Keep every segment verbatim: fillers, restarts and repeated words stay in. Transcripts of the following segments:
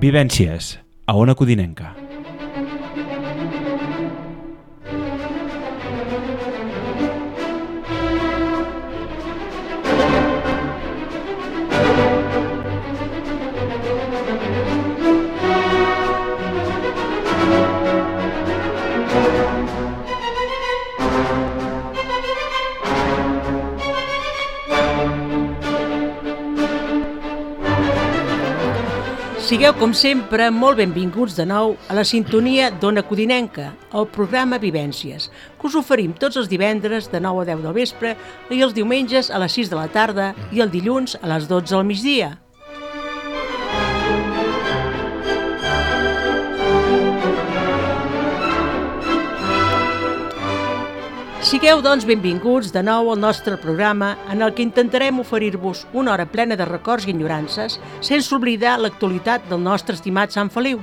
Vivències, a Ona Codinenca. Sigueu, com sempre, molt benvinguts de nou a la sintonia d'Ona Codinenca, el programa Vivències, que us oferim tots els divendres de nou a deu del vespre i els diumenges a les sis de la tarda i el dilluns a les dotze del migdia. Sigueu, doncs, benvinguts de nou al nostre programa en el que intentarem oferir-vos una hora plena de records i enyorances sense oblidar l'actualitat del nostre estimat Sant Feliu.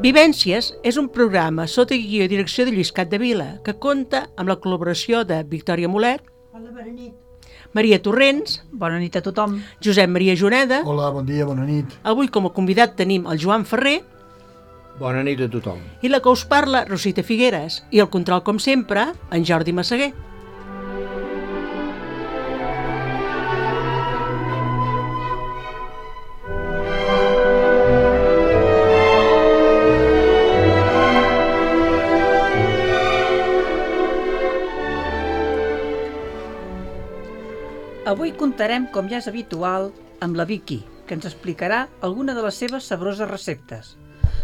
Vivències és un programa sota guió i direcció de Lluís Capdevila que compta amb la col·laboració de Victòria Molet. Hola, bona nit. Maria Torrents. Bona nit a tothom. Josep Maria Juneda. Hola, bon dia, bona nit. Avui com a convidat tenim el Joan Ferrer. Bona nit a tothom. I la que us parla, Rosita Figueres. I el control, com sempre, en Jordi Massaguer. Avui contarem, com ja és habitual, amb la Vicky, que ens explicarà alguna de les seves sabroses receptes.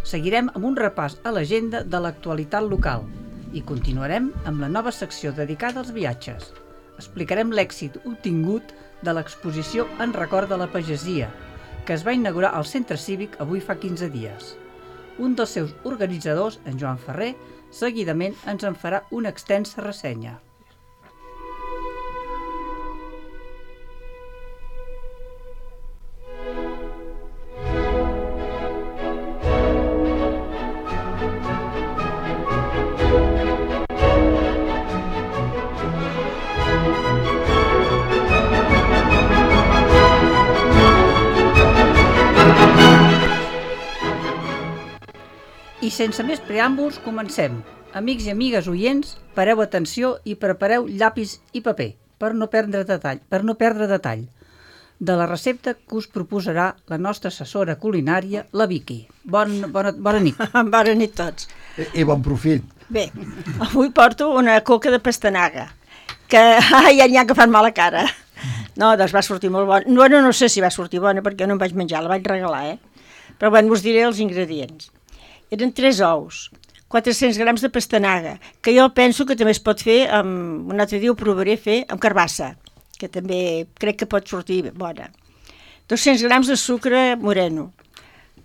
Seguirem amb un repàs a l'agenda de l'actualitat local i continuarem amb la nova secció dedicada als viatges. Explicarem l'èxit obtingut de l'exposició en record de la pagesia, que es va inaugurar al Centre Cívic avui fa quinze dies. Un dels seus organitzadors, en Joan Ferrer, seguidament ens en farà una extensa ressenya. I sense més preàmbuls, comencem. Amics i amigues oients, pareu atenció i prepareu llapis i paper per no perdre detall, per no perdre detall de la recepta que us proposarà la nostra assessora culinària, la Vicky. Bon, bona, bona nit. Bona nit tots. I, i bon profit. Bé, avui porto una coca de pastanaga, que ai, ja n'hi ha que fan mala cara. No, doncs va sortir molt bona. No, no, no sé si va sortir bona perquè no em vaig menjar, la vaig regalar, eh? Però bueno, us diré els ingredients. Eren tres ous, quatre-cents grams de pastanaga, que jo penso que també es pot fer, amb, un altre dia ho provaré fer, amb carbassa, que també crec que pot sortir bona. dos-cents grams de sucre moreno,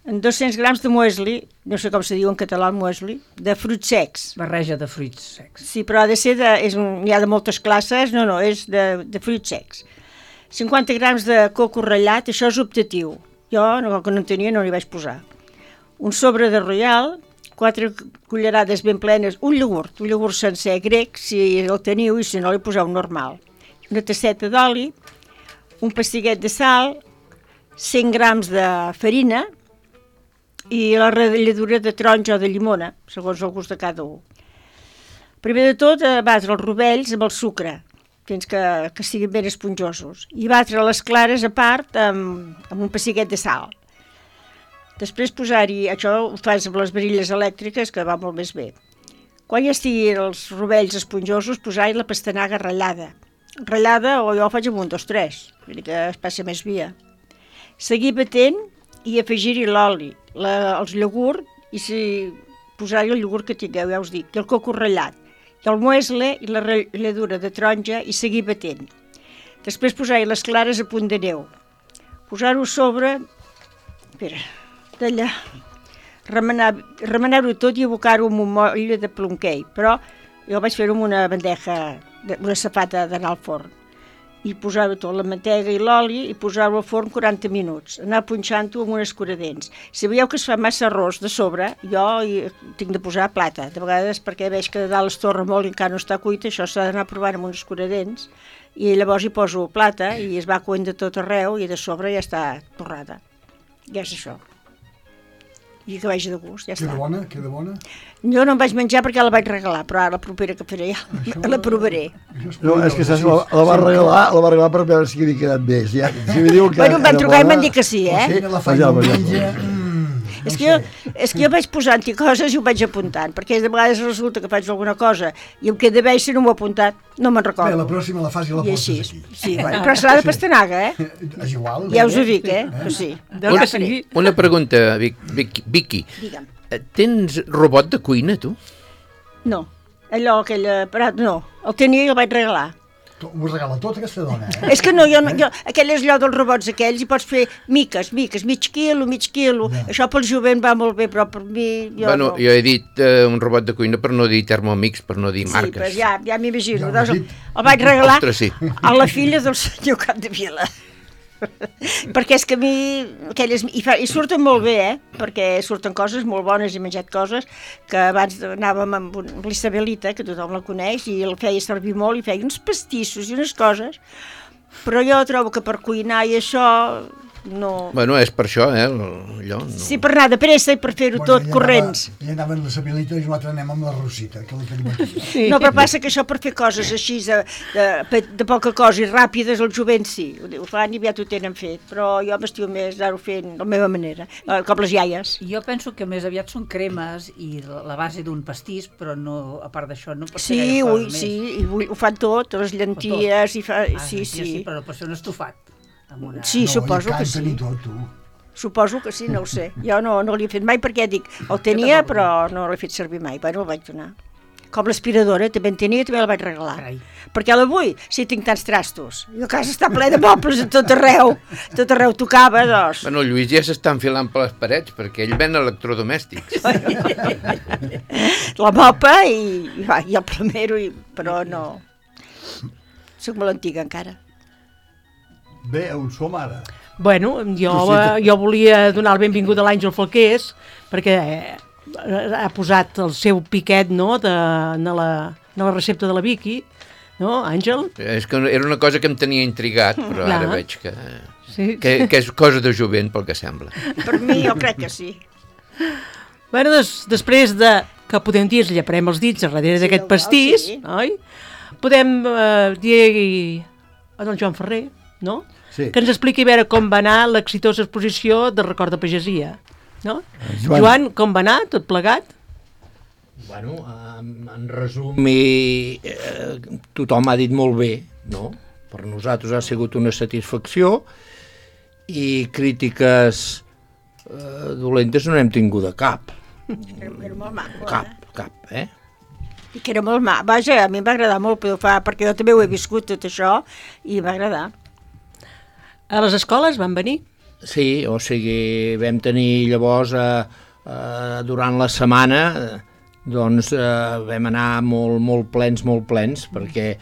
dos-cents grams de muesli, no sé com se diu en català el muesli, de fruits secs. Barreja de fruits secs. Sí, però ha de ser, de, és un, hi ha de moltes classes, no, no, és de, de fruits secs. cinquanta grams de coco ratllat, això és optatiu. Jo, no, que no en tenia, no n'hi vaig posar. Un sobre de Royal, quatre cullerades ben plenes, un iogurt, un iogurt sencer grec, si el teniu, i si no li poseu normal. Una tasseta d'oli, un pastiguet de sal, cent grams de farina i la ratlladura de taronja o de llimona, segons el gust de cada un. Primer de tot, batre els rovells amb el sucre, fins que, que siguin ben esponjosos, i batre les clares a part amb, amb un pastiguet de sal. Després posar-hi, això ho fas amb les varilles elèctriques, que va molt més bé. Quan ja estiguin els rovells esponjosos, posar-hi la pastanaga ratllada. Ratllada, o jo ho faig amb un, dos, tres, que es passa més via. Seguir batent i afegir-hi l'oli, els iogurt, i si posar-hi el iogurt que tingueu, ja us dic, i el coco ratllat, i el muesli i la ratlladura de taronja, i seguir batent. Després posar-hi les clares a punt de neu. Posar-ho sobre... Espera... d'allà, remenar, remenar-ho tot i abocar-ho amb un moll de plonquei, però Jo vaig fer-ho amb una bandeja, una safata d'anar al forn. I posar-ho tot, la mantega i l'oli, i posar-ho al forn quaranta minuts. Anar punxant-ho amb un escuradents. Si veieu que es fa massa arròs de sobre, jo hi tinc de posar plata. De vegades, perquè veig que de dalt es torra molt i encara no està cuita, això s'ha d'anar provant amb un escuradents, i llavors hi poso plata i es va coent de tot arreu i de sobre ja està torrada. Ja és això. I que vagi de gust, ja Queda està. bona? Queda bona? Jo no em vaig menjar perquè la vaig regalar, però ara la propera que faré ja la provaré. No, és que saps, la, la va regalar, la va regalar per veure si havia quedat bé. Si, ja, si me diu que Bueno, em van era trucar i bona, m'han dit que sí, eh? Sí, la faig Ja, diumenge. ja. Mm, És no que, jo, sé. és que jo vaig posant-hi coses i ho vaig apuntant, perquè de vegades resulta que faig alguna cosa i em queda bé i si no m'ho he apuntat no me'n Bé, recordo. la pròxima la fas i la I portes així, aquí. sí, bueno, però serà de pastanaga, eh? És igual. Ja us ho dic, eh? Però sí. Del que sigui. Una pregunta, Vic, Vic, Vicky. Digue'm. Eh, Tens robot de cuina, tu? No, allò, aquell aparat, no. El tenia i el vaig regalar. Ho regala tot aquesta dona, eh? És que no, jo, no- jo, aquell és allò dels robots aquells i pots fer miques, miques, mig quilo, mig quilo. Ja. Això pel jovent va molt bé, però per mi... Jo Bueno, no. jo he dit eh, un robot de cuina per no dir Thermomix, per no dir Sí, marques. però ja, ja m'imagino. Ja ho Doncs has el, dit. el vaig regalar Ostres, sí. a la filla del senyor Capdevila. Perquè és que a mi aquelles, i, fa, i surten molt bé, eh? Perquè surten coses molt bones, he menjat coses que abans anàvem amb, un, amb l'Isabelita, que tothom la coneix, i el feia servir molt, i feia uns pastissos i unes coses, però jo trobo que per cuinar i això no... Bueno, és per això, eh, allò. No. Sí, per anar de pressa i per fer-ho tot corrents. Ella anava amb la Sabelita i nosaltres anem amb la Rosita, que la tenim aquí. Sí. No, però passa que això per fer coses així de, de, de poca cosa i ràpides, el jovent sí, ho, ho fan i aviat ho tenen fet, però jo m'estiu més anar-ho fent de la meva manera, eh, com les iaies. Jo penso que més aviat són cremes i la base d'un pastís, però no, a part d'això no pot ser Sí, gaire ui, cosa sí, més. i ui, ho fan tot, les llenties, i fa... Ah, sí, sí, sí, sí, però pot ser un estofat. Amb una... sí, No, suposo i que canten sí. i tot, tu. Suposo que sí, no ho sé. Jo no, no l'he fet mai perquè dic, el tenia però no l'he fet servir mai, bueno, el vaig donar. Com l'aspiradora, també en tenia, també la vaig regalar. Carai. Perquè l'avui, si tinc tants trastos, i la casa està ple de mobles a tot arreu, tot arreu tocava, doncs... Bueno, el Lluís ja s'està enfilant per les parets, perquè ell ven electrodomèstics. La mopa i, i, va, i el plomero, i, però no... Soc molt antiga encara. Bé, on som ara? Bueno, jo, eh, jo volia donar el benvingut a l'Àngel Falqués, perquè eh, ha posat el seu piquet, no?, de, de, la, de la recepta de la Vicky, no, Àngel? És que era una cosa que em tenia intrigat, però Clar. ara veig que, Sí. que, que és cosa de jovent, pel que sembla. Per mi jo crec que sí. Bueno, des, després de, que podem dir, ens llaparem els dits a darrere Sí, d'aquest el- pastís, sí. oi? Podem eh, dir a don Joan Ferrer, no?, Sí. que ens expliqui a veure com va anar l'exitosa exposició de record de pagesia, no? Joan. Joan, com va anar, tot plegat? Bueno, en, en resum, i, eh, tothom ha dit molt bé, no? Per nosaltres ha sigut una satisfacció i crítiques eh, dolentes no n'hem tingut de cap. Era, era molt maco, Cap, eh? cap, eh? I que era molt maco. Vaja, a mi em va agradar molt poder fer, perquè jo també ho he viscut tot això, i m'ha agradat. A les escoles van venir? Sí, o sigui, vam tenir llavors, eh, eh, durant la setmana, eh, doncs eh, vam anar molt, molt plens, molt plens, perquè eh,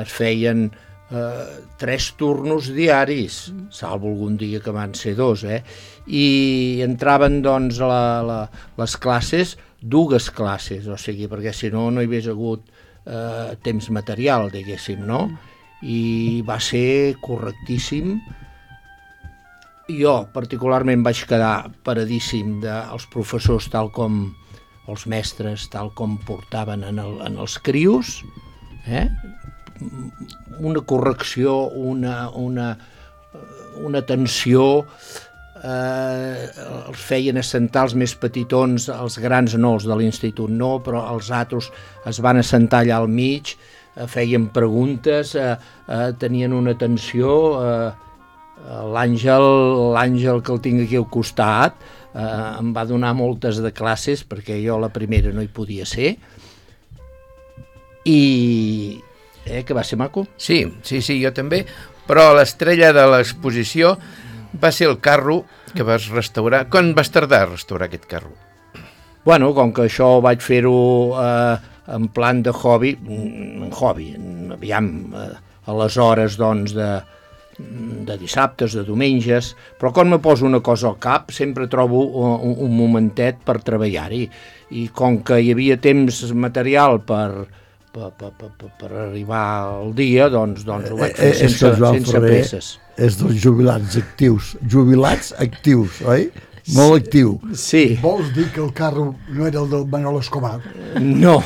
es feien eh, tres turnos diaris, salvo algun dia que van ser dos, eh? I entraven, doncs, la, la, les classes, dues classes, o sigui, perquè si no, no hi hagués hagut eh, temps material, diguéssim, no? I va ser correctíssim. Jo particularment vaig quedar paradíssim dels professors tal com, els mestres tal com portaven en, el, en els crios, eh? Una correcció, una, una, una atenció, eh, els feien assentar els més petitons, els grans no, els de l'institut no, però els altres es van assentar allà al mig, feien preguntes, eh, eh, tenien una atenció, eh, l'Àngel, l'Àngel que el tinc aquí al costat, eh, em va donar moltes de classes, perquè jo la primera no hi podia ser, i eh, que va ser maco. Sí, sí, sí, jo també, però l'estrella de l'exposició va ser el carro que vas restaurar. Quan vas tardar a restaurar aquest carro? Bueno, com que això vaig fer-ho... Eh, en plan de hobby, hobby, aviam, a les hores doncs de, de dissabtes, de diumenges, però quan me poso una cosa al cap sempre trobo un, un momentet per treballar-hi, i com que hi havia temps material per, per, per, per, per arribar al dia, doncs, doncs ho vaig fer Eh, eh, és sense, que Joan sense Ferrer presses. és dels jubilats actius, jubilats actius, oi? Molt actiu. Sí. Vols dir que el carro no era el del Manol Escobar? No,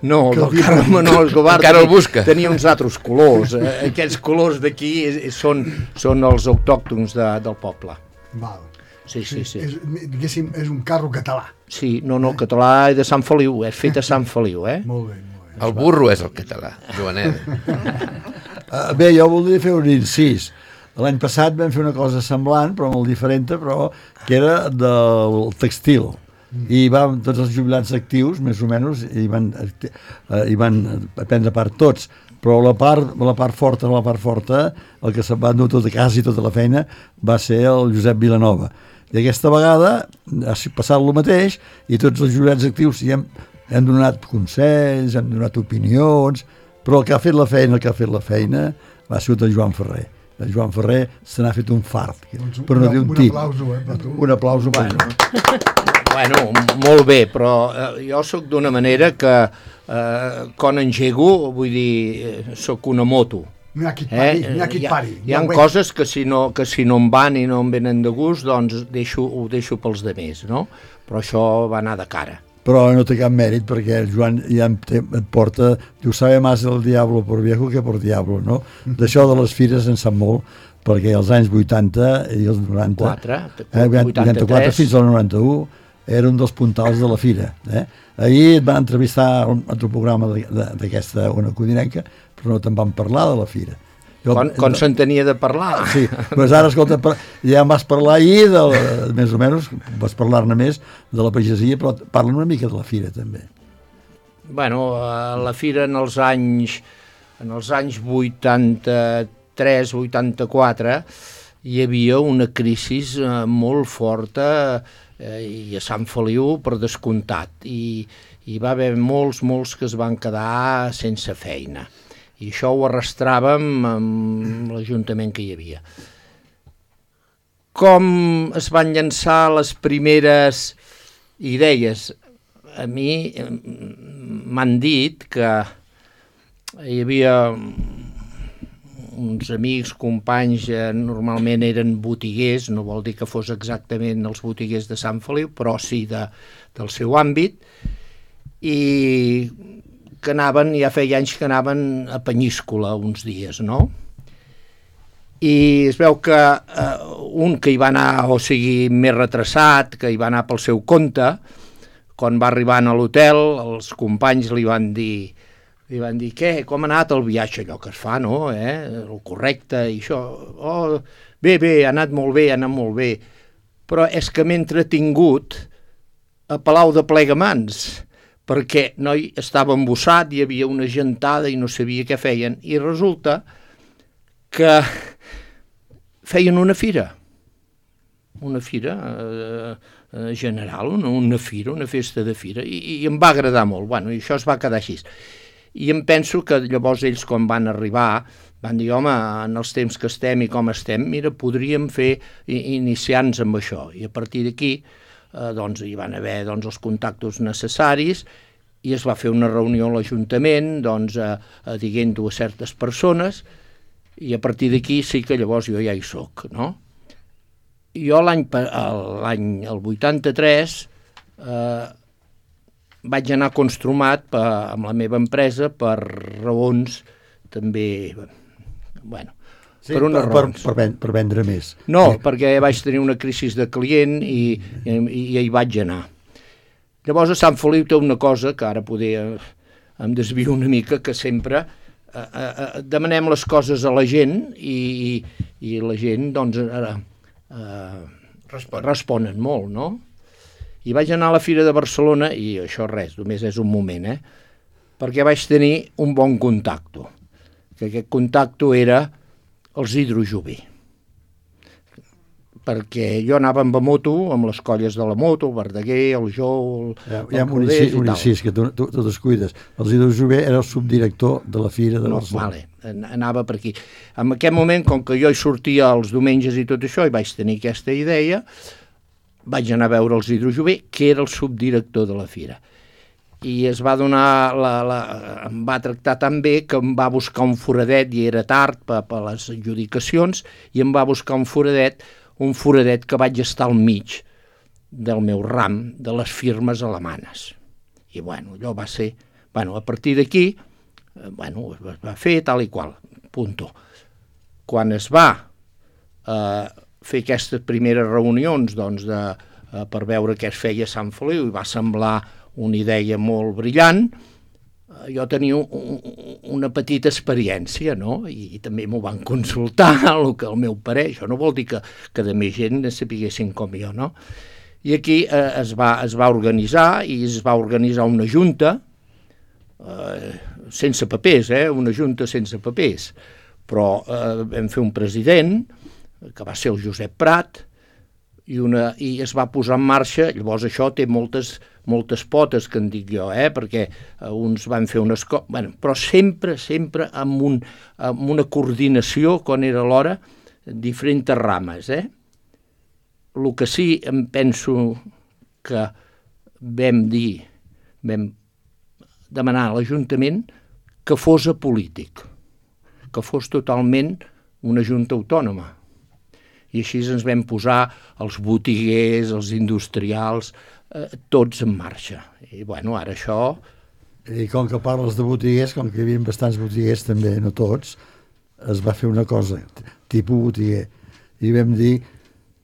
no, Que el havia- carro Manol Escobar Encara el tenia- busca. tenia uns altres colors. Eh, Aquests colors d'aquí és- són, són els autòctons de, del poble. Val. Sí, sí, sí. És, diguéssim, és un carro català. Sí, no, no, el català és de Sant Feliu, és fet a Sant Feliu, eh? Molt bé, molt bé. El burro és el català, Joanet. Uh, bé, jo voldria fer un incís. L'any passat vam fer una cosa semblant, però molt diferent, però que era del textil. I vam, tots els jubilats actius, més o menys, hi van, eh, hi van prendre part tots. Però la part, la part forta, la part forta, el que se'n va endur tota quasi tota la feina, va ser el Josep Vilanova. I aquesta vegada ha passat el mateix, i tots els jubilats actius hi hem, hem donat consells, hem donat opinions, però el que ha fet la feina, el que ha fet la feina, va ser el Joan Ferrer. El Joan Ferrer se n'ha fet un fart, Doncs per no un- dir un un tip. aplauso, eh, per tu. Un aplauso per Bueno. Bueno, molt bé, però eh, jo sóc d'una manera que eh, quan engego, vull dir, eh, sóc una moto. N'hi ha qui et pari, n'hi ha qui hi et ha, pari. hi ha Ja ho veig. coses que si, no, que si no em van i no em venen de gust, doncs deixo, ho deixo pels demés, no? Però això va anar de cara. Però no té cap mèrit perquè el Joan ja em té, et porta, diu, sabe más del diablo por viejo que por diablo, no? D'això de les fires en sap molt, perquè als anys vuitanta i els noranta, Quatre, eh, vuitanta-quatre vuitanta-tres. fins al noranta-u, era un dels puntals de la fira. Eh? Ahir et van entrevistar a un altre programa de- de- d'aquesta Ona Codinenca, però no te'n van parlar de la fira. Jo, Quan, quan se'n tenia de parlar. Sí, doncs ara, escolta, par- ja em vas parlar ahir, de, la- més o menys, vas parlar-ne més de la pagesia, però parla una mica de la fira, també. Bueno, a la fira en els anys, en els anys vuitanta-tres vuitanta-quatre hi havia una crisi eh, molt forta eh, i a Sant Feliu per descomptat, i hi va haver molts, molts que es van quedar sense feina, i això ho arrastràvem amb l'Ajuntament que hi havia. Com es van llançar les primeres idees? A mi eh, m'han dit que hi havia uns amics, companys, eh, normalment eren botiguers, no vol dir que fos exactament els botiguers de Sant Feliu, però sí de, del seu àmbit, i que anaven, ja feia anys que anaven a Penyíscola uns dies, no? I es veu que eh, un que hi va anar, o sigui, més retrasat, que hi va anar pel seu compte, quan va arribant a l'hotel, els companys li van dir, li van dir, què, com ha anat el viatge, allò que es fa, no?, eh? El correcte, i això, oh, bé, bé, ha anat molt bé, ha anat molt bé, però és que m'he entretingut a Palau de Plegamans, perquè noi estava embossat, hi havia una gentada i no sabia què feien, i resulta que feien una fira, una fira eh, eh, general, una, una fira, una festa de fira, i, i em va agradar molt. Bueno, i això es va quedar així. I em penso que llavors ells, quan van arribar, van dir, home, en els temps que estem i com estem, mira, podríem fer iniciar-nos amb això. I a partir d'aquí, eh, doncs, hi van haver doncs, els contactes necessaris, i es va fer una reunió a l'Ajuntament, doncs, eh, eh, dient-ho a certes persones, i a partir d'aquí sí que llavors jo ja hi soc, no? Jo l'any, l'any, el vuitanta-tres, eh, vaig anar construmat per, amb la meva empresa per raons també, bueno, Sí, per unes per, raons. per, per, per vendre més. No, perquè vaig tenir una crisi de client i, i, i hi vaig anar. Llavors a Sant Feliu té una cosa, que ara poder em desvio una mica, que sempre eh, eh, demanem les coses a la gent i, i, i la gent doncs eh, eh, Respon. responen molt, no? I vaig anar a la Fira de Barcelona, i això res, només és un moment, eh? Perquè vaig tenir un bon contacte, que aquest contacte era els Hidrojover. perquè jo anava amb la moto, amb les colles de la moto, el Verdaguer, el Jou, el, Hi ha, el hi ha un Rodés incís, i un tal. incís que tu, tu, tu descuides. El Zidou Jové era el subdirector de la Fira de No, Barcelona. vale, an- anava per aquí. En aquest moment, com que jo hi sortia els diumenges i tot això, i vaig tenir aquesta idea, vaig anar a veure el Zidou Jové, que era el subdirector de la Fira. I es va donar, la, la, em va tractar tan bé que em va buscar un foradet, i era tard per, per les adjudicacions, i em va buscar un foradet, un foradet que vaig estar al mig del meu ram de les firmes alemanes. I bueno, allò va ser... Bueno, a partir d'aquí, eh, bueno, es va fer tal i qual, punto. Quan es va eh, fer aquestes primeres reunions, doncs, de, eh, per veure què es feia a Sant Feliu, i va semblar una idea molt brillant, eh, jo tenia un, una petita experiència, no? I, i també m'ho van consultar, el, que, el meu parer. Això no vol dir que, que de més gent ne sapiguessin com jo, no? I aquí eh, es, va, es va organitzar, i es va organitzar una junta, eh, sense papers, eh? Una junta sense papers, però eh, vam fer un president, que va ser el Josep Prat, i, una, i es va posar en marxa. Llavors això té moltes, moltes potes, que en dic jo, eh? Perquè eh, uns van fer unes coses, bueno, però sempre, sempre amb, un, amb una coordinació, quan era l'hora, diferents rames, eh? El que sí em penso que vam dir, vam demanar a l'Ajuntament que fos apolític, que fos totalment una junta autònoma. I així ens vam posar els botiguers, els industrials, eh, tots en marxa. I bueno, ara això... I com que parles de botiguers, com que hi havia bastants botiguers també, no tots, es va fer una cosa, tipus botiguer, i vam dir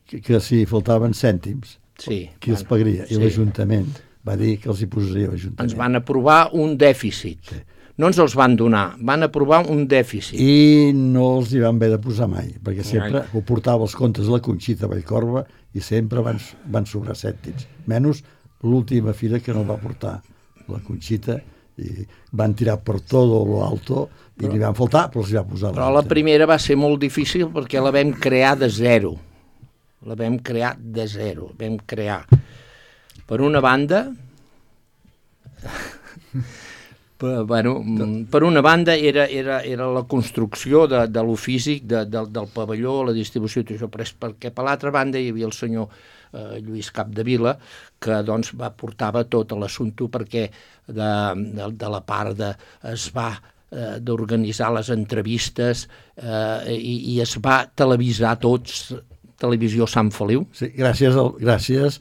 que, que si faltaven cèntims, Sí, qui els bueno, pagaria? I sí. l'Ajuntament va dir que els hi posaria l'Ajuntament. Ens van aprovar un dèficit. Sí. No ens els van donar, van aprovar un dèficit. I no els hi van haver de posar mai, perquè sempre ho portava els comptes de la Conxita Vallcorba i sempre van, van sobrar cèntims. Menys l'última fira que no va portar la Conxita, i van tirar per tot lo alto i però, li van faltar, però els hi va posar. Però la primera va ser molt difícil perquè la vam crear de zero. La vam crear de zero. Vam crear, per una banda... Per, bueno, per una banda era, era, era la construcció de, de lo físic de, de, del pavelló, la distribució i tot això, però és perquè per l'altra banda hi havia el senyor eh, Lluís Capdevila, que doncs va portava tot l'assumpte, perquè de, de, de la part de, es va eh, d'organitzar les entrevistes eh, i, i es va televisar tots, Televisió Sant Feliu. Sí, gràcies al, gràcies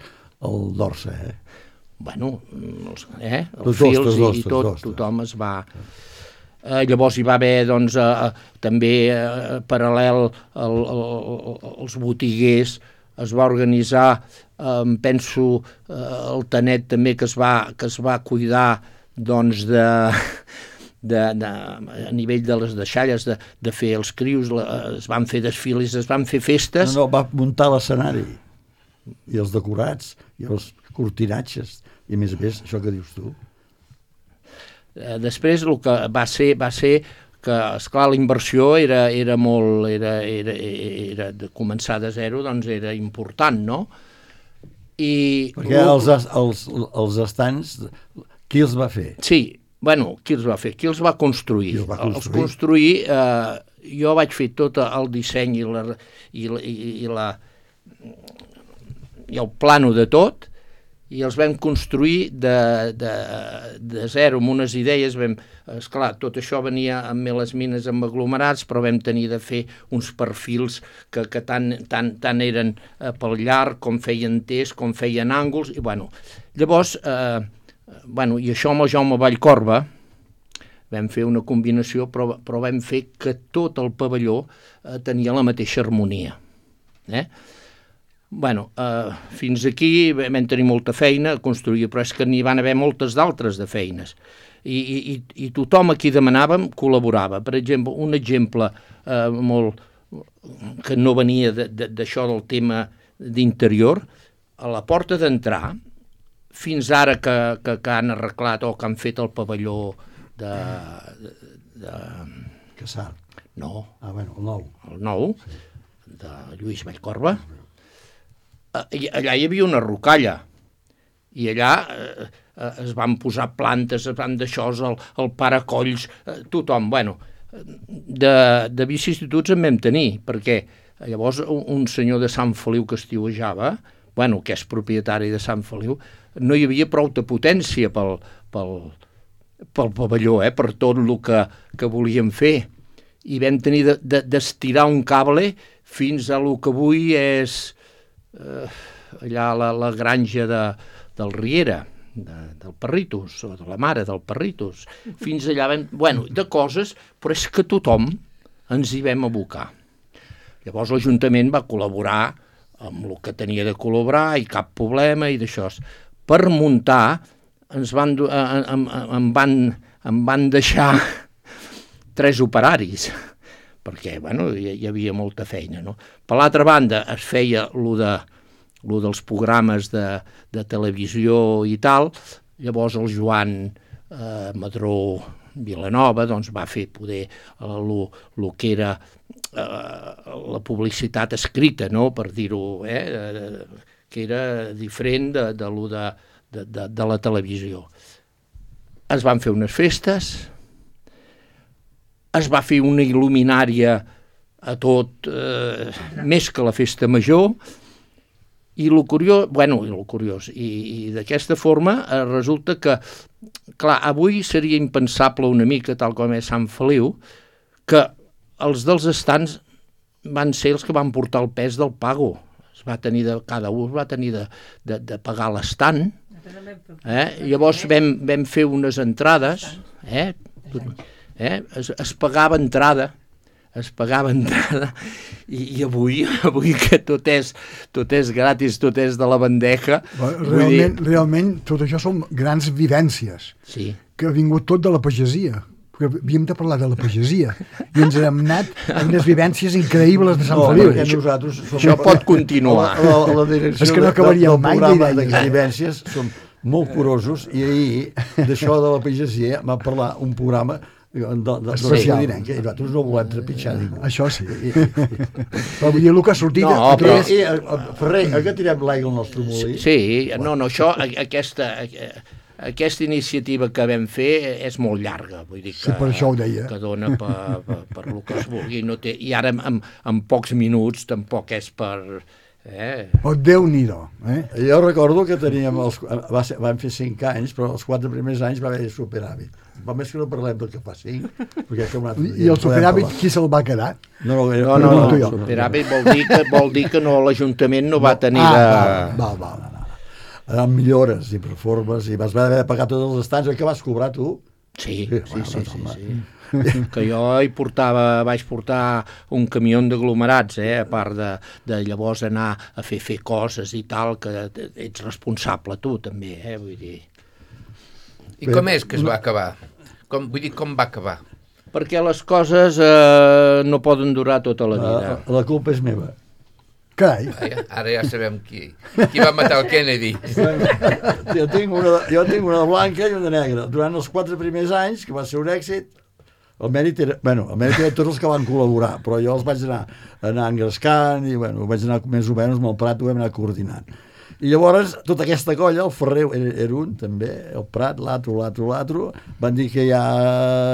al Dorsa, eh? Bueno, els, eh, els Tots fils dos, i, dos, i dos, tot, dos, tothom es va... Eh, llavors hi va haver, doncs, eh, també eh, paral·lel al, al, als botiguers, es va organitzar, eh, penso, eh, el Tanet també, que es va, que es va cuidar, doncs, de... De, de, a nivell de les deixalles, de, de fer els crius, la, es van fer desfiles, es van fer festes... No, no, va muntar l'escenari, i els decorats, i els cortinatges, i a més a més, això que dius tu. Eh, després el que va ser, va ser que, esclar, la inversió era, era molt, era, era, era de començar de zero, doncs era important, no? I Perquè els, els, els estants, qui els va fer? Sí, bueno, qui els va fer? Qui els va construir? Qui els va construir? Els construir, eh, jo vaig fer tot el disseny i, la, i, la, i, i, la, i el plano de tot, i els vam construir de, de, de zero, amb unes idees. Vam, esclar, tot això venia amb les mines amb aglomerats, però vam tenir de fer uns perfils que, que tant, tant, tant eren eh, pel llarg, com feien tés, com feien ànguls, i bueno, llavors... Eh, Bueno, i això amb el Jaume Vallcorba vam fer una combinació, però, però vam fer que tot el pavelló eh, tenia la mateixa harmonia. Eh? Bueno, eh, fins aquí vam tenir molta feina a construir, però és que n'hi van haver moltes d'altres de feines. I, i, i tothom a qui demanàvem col·laborava. Per exemple, un exemple eh, molt, que no venia d'això del tema d'interior, a la porta d'entrar, fins ara que, que, que han arreglat o que han fet el pavelló de... de, de Cassar. no, Ah, bueno, el nou. el nou, de Lluís Vallcorba, eh, allà hi havia una rocalla, i allà eh, es van posar plantes, es van deixar el, el paracolls, eh, tothom, bueno, de, de vicissituds en vam tenir, perquè llavors un, un senyor de Sant Feliu que estiuejava, bueno, que és propietari de Sant Feliu, no hi havia prou de potència pel, pel, pel pavelló, eh, per tot el que, que volíem fer, i vam tenir de, de, d'estirar un cable fins a lo que avui és eh, allà la, la granja de, del Riera, de, del Perritos, o de la mare del Perritos, fins allà vam... Bueno, de coses, però és que tothom ens hi vam abocar. Llavors l'Ajuntament va col·laborar amb el que tenia de col·laborar i cap problema i d'això. Per muntar ens van, em, em, van, em van deixar tres operaris, perquè bueno, hi, hi havia molta feina. No? Per l'altra banda es feia lo de lo dels programes de, de televisió i tal, llavors el Joan eh, Madró Vilanova doncs, va fer poder eh, lo, lo que era eh, la publicitat escrita, no? Per dir-ho, eh, eh, que era diferent de, de, lo de, de, de, de la televisió. Es van fer unes festes, es va fer una il·luminària a tot, eh, més que la festa major, i el curiós, bueno, i el curiós, i, i d'aquesta forma eh, resulta que, clar, avui seria impensable una mica, tal com és Sant Feliu, que els dels estants van ser els que van portar el pes del pago. Es va tenir de, cada un va tenir de, de, de pagar l'estant. Eh? Llavors vam, vam fer unes entrades, eh? Eh? Es, es pagava entrada, es pagava entrada, i, i avui, avui que tot és, tot és gratis, tot és de la bandeja. Realment, dir... realment, tot això són grans vivències, sí. Que ha vingut tot de la pagesia, perquè havíem de parlar de la pagesia, i ens hem anat amb unes vivències increïbles de Sant no, Feliu. Perquè nosaltres som... Això pot continuar. A la, a la direcció és que no de, del mai programa de vivències som molt curosos, i ahir d'això de la pagesia va parlar un programa de, de, de especial. I nosaltres no volem trepitjar ningú. Això sí. Però vull dir, el que ha sortit... No, aquí però... és... I, i, Ferrer, a què tirem l'aigua al nostre molí? Sí, no, no, això, aquesta, aquesta iniciativa que vam fer és molt llarga, vull dir que, sí, per això ho deia. Que dona per, per, per el que es vulgui, no té, i ara en, en pocs minuts tampoc és per... Eh? Oh, Déu-n'hi-do. Eh? Jo recordo que teníem, els, va ser, vam fer cinc anys, però els quatre primers anys va haver superàvit. Va més que no parlem del que fa cinc. Perquè com I el superàvit qui se'l va quedar? No, no, no, no, no, no superàvit vol dir que, vol dir que no, l'Ajuntament no va tenir ah, de... Va, va, va, va. Eren millores i reformes, i vas haver de pagar tots els estants, que vas cobrar tu? Sí, sí, sí, sí, sí, sí. Que jo hi portava, vaig portar un camió d'aglomerats, eh, a part de, de llavors anar a fer, fer coses i tal, que ets responsable tu també, eh, vull dir. I com és que es va acabar? Com, vull dir, com va acabar? Perquè les coses eh, no poden durar tota la vida. La, la culpa és meva. Carai. Ara, ara ja sabem qui, qui va matar el Kennedy. jo, tinc una, jo tinc una blanca i una negra. Durant els quatre primers anys, que va ser un èxit, el mèrit era, bueno, el mèrit era tots els que van col·laborar, però jo els vaig anar, anar engrescant i bueno, vaig anar més o menys amb el Prat, ho vam anar coordinant. I llavors, tota aquesta colla, el Ferrer era, era un, també, el Prat, l'altre, l'altre, l'altre, van dir que ja,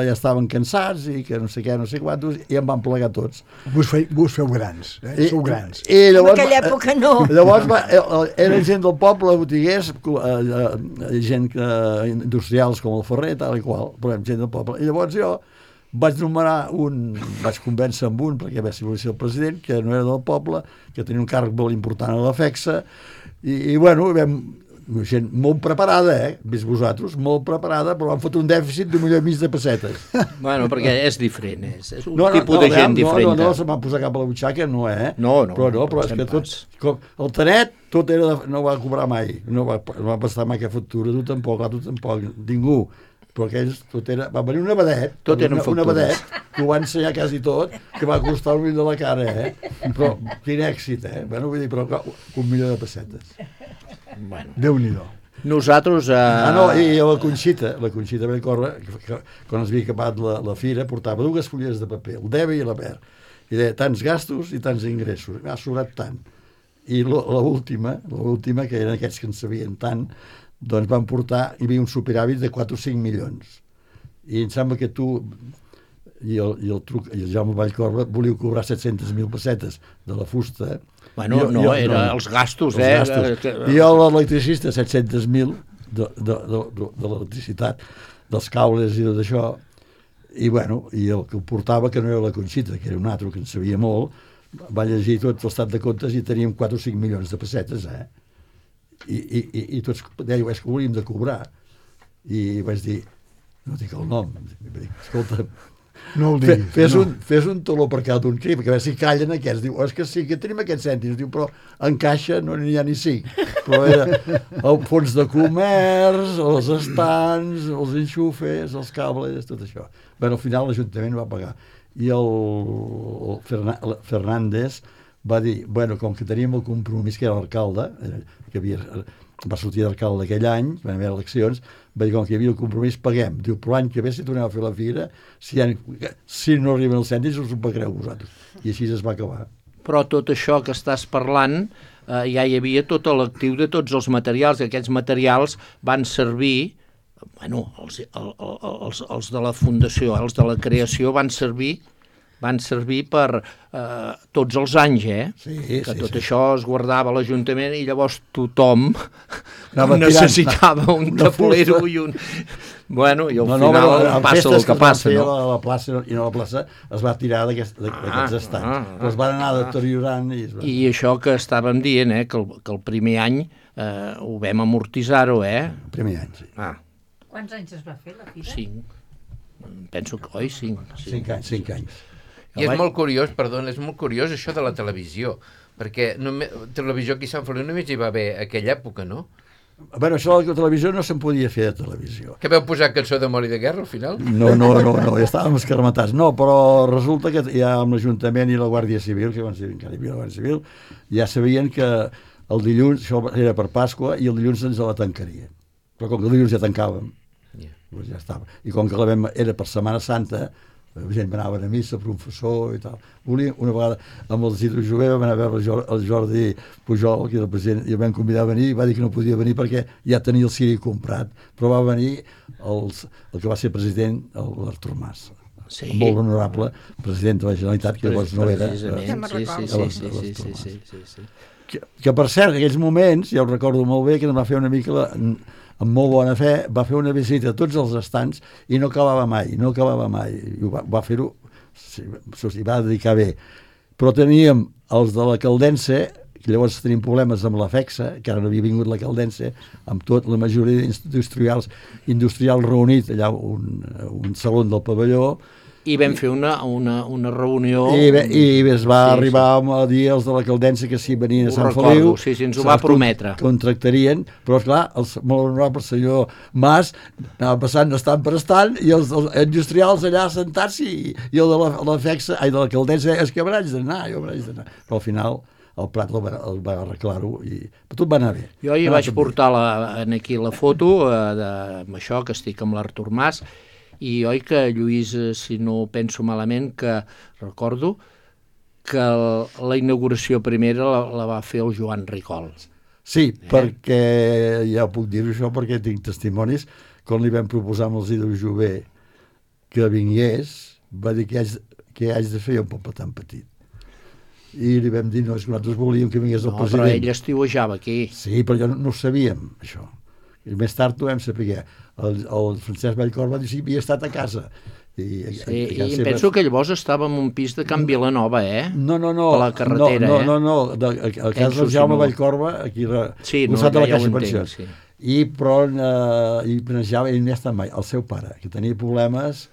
ja estaven cansats i que no sé què, no sé quantos, i em van plegar tots. Vos, fe, vos feu grans, eh? I, Sou grans. I llavors, en aquella època no. Llavors va, era gent del poble, botiguers, gent industrials com el Ferrer, tal i qual, però gent del poble. I llavors jo vaig nomenar un, vaig convèncer amb un, perquè va ser el president, que no era del poble, que tenia un càrrec molt important a la FEXA, i, i bueno, vam, gent molt preparada, eh, vist vosaltres, molt preparada, però van fotre un dèficit d'un milió i mig de pessetes. Bueno, perquè és diferent, és, és un no, no, tipus no, de gent no, diferent. No, no, no se m'han posat cap a la butxaca, no, eh? No, no. Però no, però no, és que tot, com, el Tanet, tot era, de, no va cobrar mai, no va, no va prestar mai cap factura, tu tampoc, tu tampoc, ningú. Però aquells, tot era, va venir una vedet, tot eren una, una vedet, que ho va ensenyar quasi tot, que va costar un milió de la cara, eh? Però quin èxit, eh? Bueno, vull dir, però un milió de pessetes. Bueno. Déu-n'hi-do. Nosaltres... Eh... Ah, no, i la Conxita, la Conxita Belcorre, que, que, quan es havia acabat la, la fira, portava dues fulles de paper, el debe i la ver, i deia tants gastos i tants ingressos, m'ha sobrat tant. I l'última, l'última, que eren aquests que en sabien tant, doncs van portar, hi havia un superàvit de quatre o cinc milions. I em sembla que tu i el, i el, truc, i el Jaume Vallcorba volíeu cobrar set-centes mil pessetes de la fusta. Bueno, jo, no, jo, era no, els gastos, els eh? gastos. I jo l'electricista, set-centes mil de, de, de, de, de l'electricitat, dels cables i tot això, i bueno, i el que ho portava, que no era la Conxita, que era un altre que en sabia molt, va llegir tot l'estat de comptes i teníem quatre o cinc milions de pessetes, eh? I, i, i, i tots dèieu, és que ho hauríem de cobrar. I vaig dir, no dic el nom, vaig dir, escolta, no el Fe, diguis. fes, no. un, fes un taló per cada un crim, que a veure si callen aquests. Diu, oh, és que sí, que tenim aquests cèntims. Diu, però en caixa no n'hi ha ni cinc. Però era el fons de comerç, els estants, els enxufes, els cables, tot això. Bé, al final l'Ajuntament va pagar. I el, el, Ferna, el Fernández va dir, bueno, com que teníem el compromís, que era l'alcalde, que havia, va sortir d'alcalde aquell any, van haver eleccions, va dir, com que hi havia el compromís, paguem. Diu, però l'any que ve, si tornem a fer la fira, si, ha, si no arriben els cèntims, us ho pagareu vosaltres. I així es va acabar. Però tot això que estàs parlant, eh, ja hi havia tot l'actiu de tots els materials, i aquests materials van servir, bueno, els, el, els, els de la fundació, els de la creació van servir van servir per eh, tots els anys, eh? Sí, que sí, tot sí. això es guardava a l'Ajuntament i llavors tothom Anava necessitava tirant, un una tablero fusta. i un... Bueno, i al No, no, final però, en passa el festes que es van passa, fer no? a la plaça, i no a la plaça es va tirar d'aquest- d'aquests Ah, estants. ah, Però es van anar ah. deteriorant i es van... I això que estàvem dient, eh, que el, que el primer any eh, ho vam amortitzar-ho, eh? El primer any, sí. Ah, Quants anys es va fer la fira? cinc. Penso que, oi, cinc. Sí. Cinc anys, cinc anys. I és molt curiós, perdona, és molt curiós això de la televisió, perquè només, televisió aquí a Sant Feliu només hi va haver aquella època, no? Bueno, això de la televisió no se'n podia fer de televisió. Que vau posar cançó d'amor i de guerra al final? No, no, no, no, ja estàvem escarmatats. No, però resulta que ja amb l'Ajuntament i la Guàrdia Civil, que van ser, encara hi havia la Guàrdia Civil, ja sabien que el dilluns, això era per Pasqua, i el dilluns ens la tancarien. Però com que el dilluns ja tancàvem, Yeah. doncs ja estava. I com que la vam, era per Setmana Santa, la gent anaven a missa, professor i tal. Volia, una vegada amb el Isidre Jové vam anar a veure el Jordi, el Jordi Pujol, que era el president, i el vam convidar a venir, i va dir que no podia venir perquè ja tenia el Siri comprat, però va venir els, el que va ser president, l'Artur Mas. Sí. Molt honorable president de la Generalitat, que llavors no era. Precisament, eh, sí, sí, sí, sí, sí, sí, sí, sí, sí. Que, que per cert, en aquells moments, ja ho recordo molt bé, que em va fer una mica, la, amb molt bona fe, va fer una visita a tots els estants i no acabava mai, no acabava mai. I va, va fer-ho, s'hi va dedicar bé. Però teníem els de la Caldense, que llavors tenim problemes amb la FEXA, que ara no havia vingut la Caldense, amb tot la majoria d'industrials industrials reunits allà un, un saló del pavelló, I vam fer una, una, una reunió... I, bé, i es va Sí, arribar a dir els de la Caldense que si venien a Ho Sant recordo, Feliu... sí, sí, ens ho se va les prometre. Contractarien, però esclar, el molt honorable senyor Mas anava passant estant per estant i els, els industrials allà sentats i, i el de la, la FEXA, ai, de la Caldense, és que m'haig d'anar, jo m'haig d'anar. Però al final el Prat el va, el va arreglar-ho i tot va anar bé. Jo hi Va vaig tot bé. portar la, en aquí la foto eh, de, amb això, que estic amb l'Artur Mas, i oi que Lluís, eh, si no penso malament, que recordo que el, la inauguració primera la, la va fer el Joan Ricol. Sí, eh? perquè ja puc dir-ho això perquè tinc testimonis. Quan li vam proposar amb el Isidre Jové que vingués, va dir que haig, que haig de fer un poble tan petit. I li vam dir, no, és que nosaltres volíem que vingués el No, president. però ell estiuejava aquí. Sí, però jo no, no ho sabíem, això. I més tard ho vam saber. El, el Francesc Vallcorba va dir que havia estat a casa. I, Sí, i em penso que llavors estava en un pis de Can Vilanova, eh? No, no, no. A la carretera, no, eh? no, no, no. De, a, a casa Penso, del Jaume si no. Vallcorba, aquí a Sí, no, costat de la ja ho Caixa entenc, Pensions. sí. I, però, eh, i planejava, ell no hi ha estat mai, el seu pare, que tenia problemes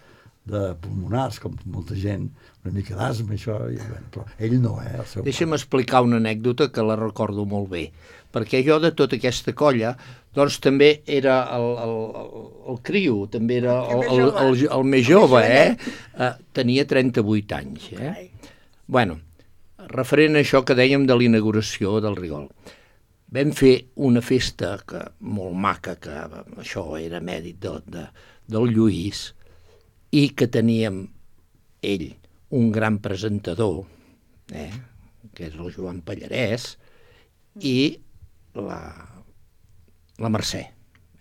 de pulmonars, com molta gent, una mica d'asma, això, i, bueno, però ell no, eh, el seu Deixa'm explicar una anècdota que la recordo molt bé, perquè jo de tota aquesta colla, doncs també era el, el, el, el criu, també era el, el, el, el, el més jove, eh? eh? Tenia trenta-vuit anys, eh? Bueno, referent a això que dèiem de l'inauguració del Rigol, vam fer una festa que, molt maca, que això era mèrit de, de, del Lluís, i que teníem ell, un gran presentador, eh, que és el Joan Pallarès, i la, la Mercè,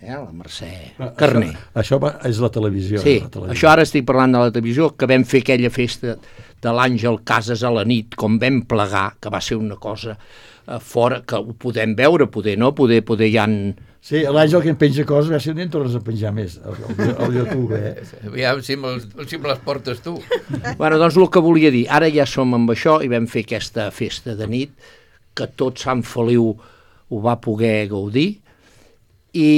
eh? la Mercè Carner. Això, això és la televisió. Sí, la televisió. Això ara estic parlant de la televisió, que vam fer aquella festa de l'Àngel Casas a la nit, com vam plegar, que va ser una cosa eh, fora, que ho podem veure, poder no, poder, poder ja... En... Sí, l'Àngel que en penja coses, a veure si no en tornes a penjar més, el, el, el YouTube, eh? Aviam si me, si me les portes tu. Bueno, doncs el que volia dir, ara ja som amb això i vam fer aquesta festa de nit, que tot Sant Feliu ho va poder gaudir, i,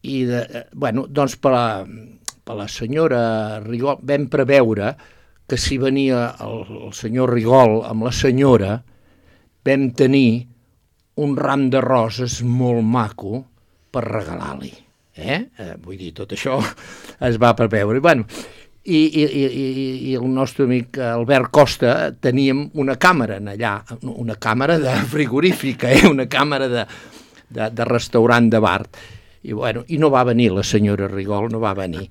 i de, bueno, doncs per la, per la senyora Rigol vam preveure que si venia el, el senyor Rigol amb la senyora, vam tenir un ram de roses molt maco per regalar-li. Eh? Eh, vull dir, tot això es va preveure. Bueno, i, i, i, i el nostre amic Albert Costa teníem una càmera en allà, una càmera de frigorífica, eh? Una càmera de, de, de restaurant de bar. I, bueno, i no va venir la senyora Rigol, no va venir.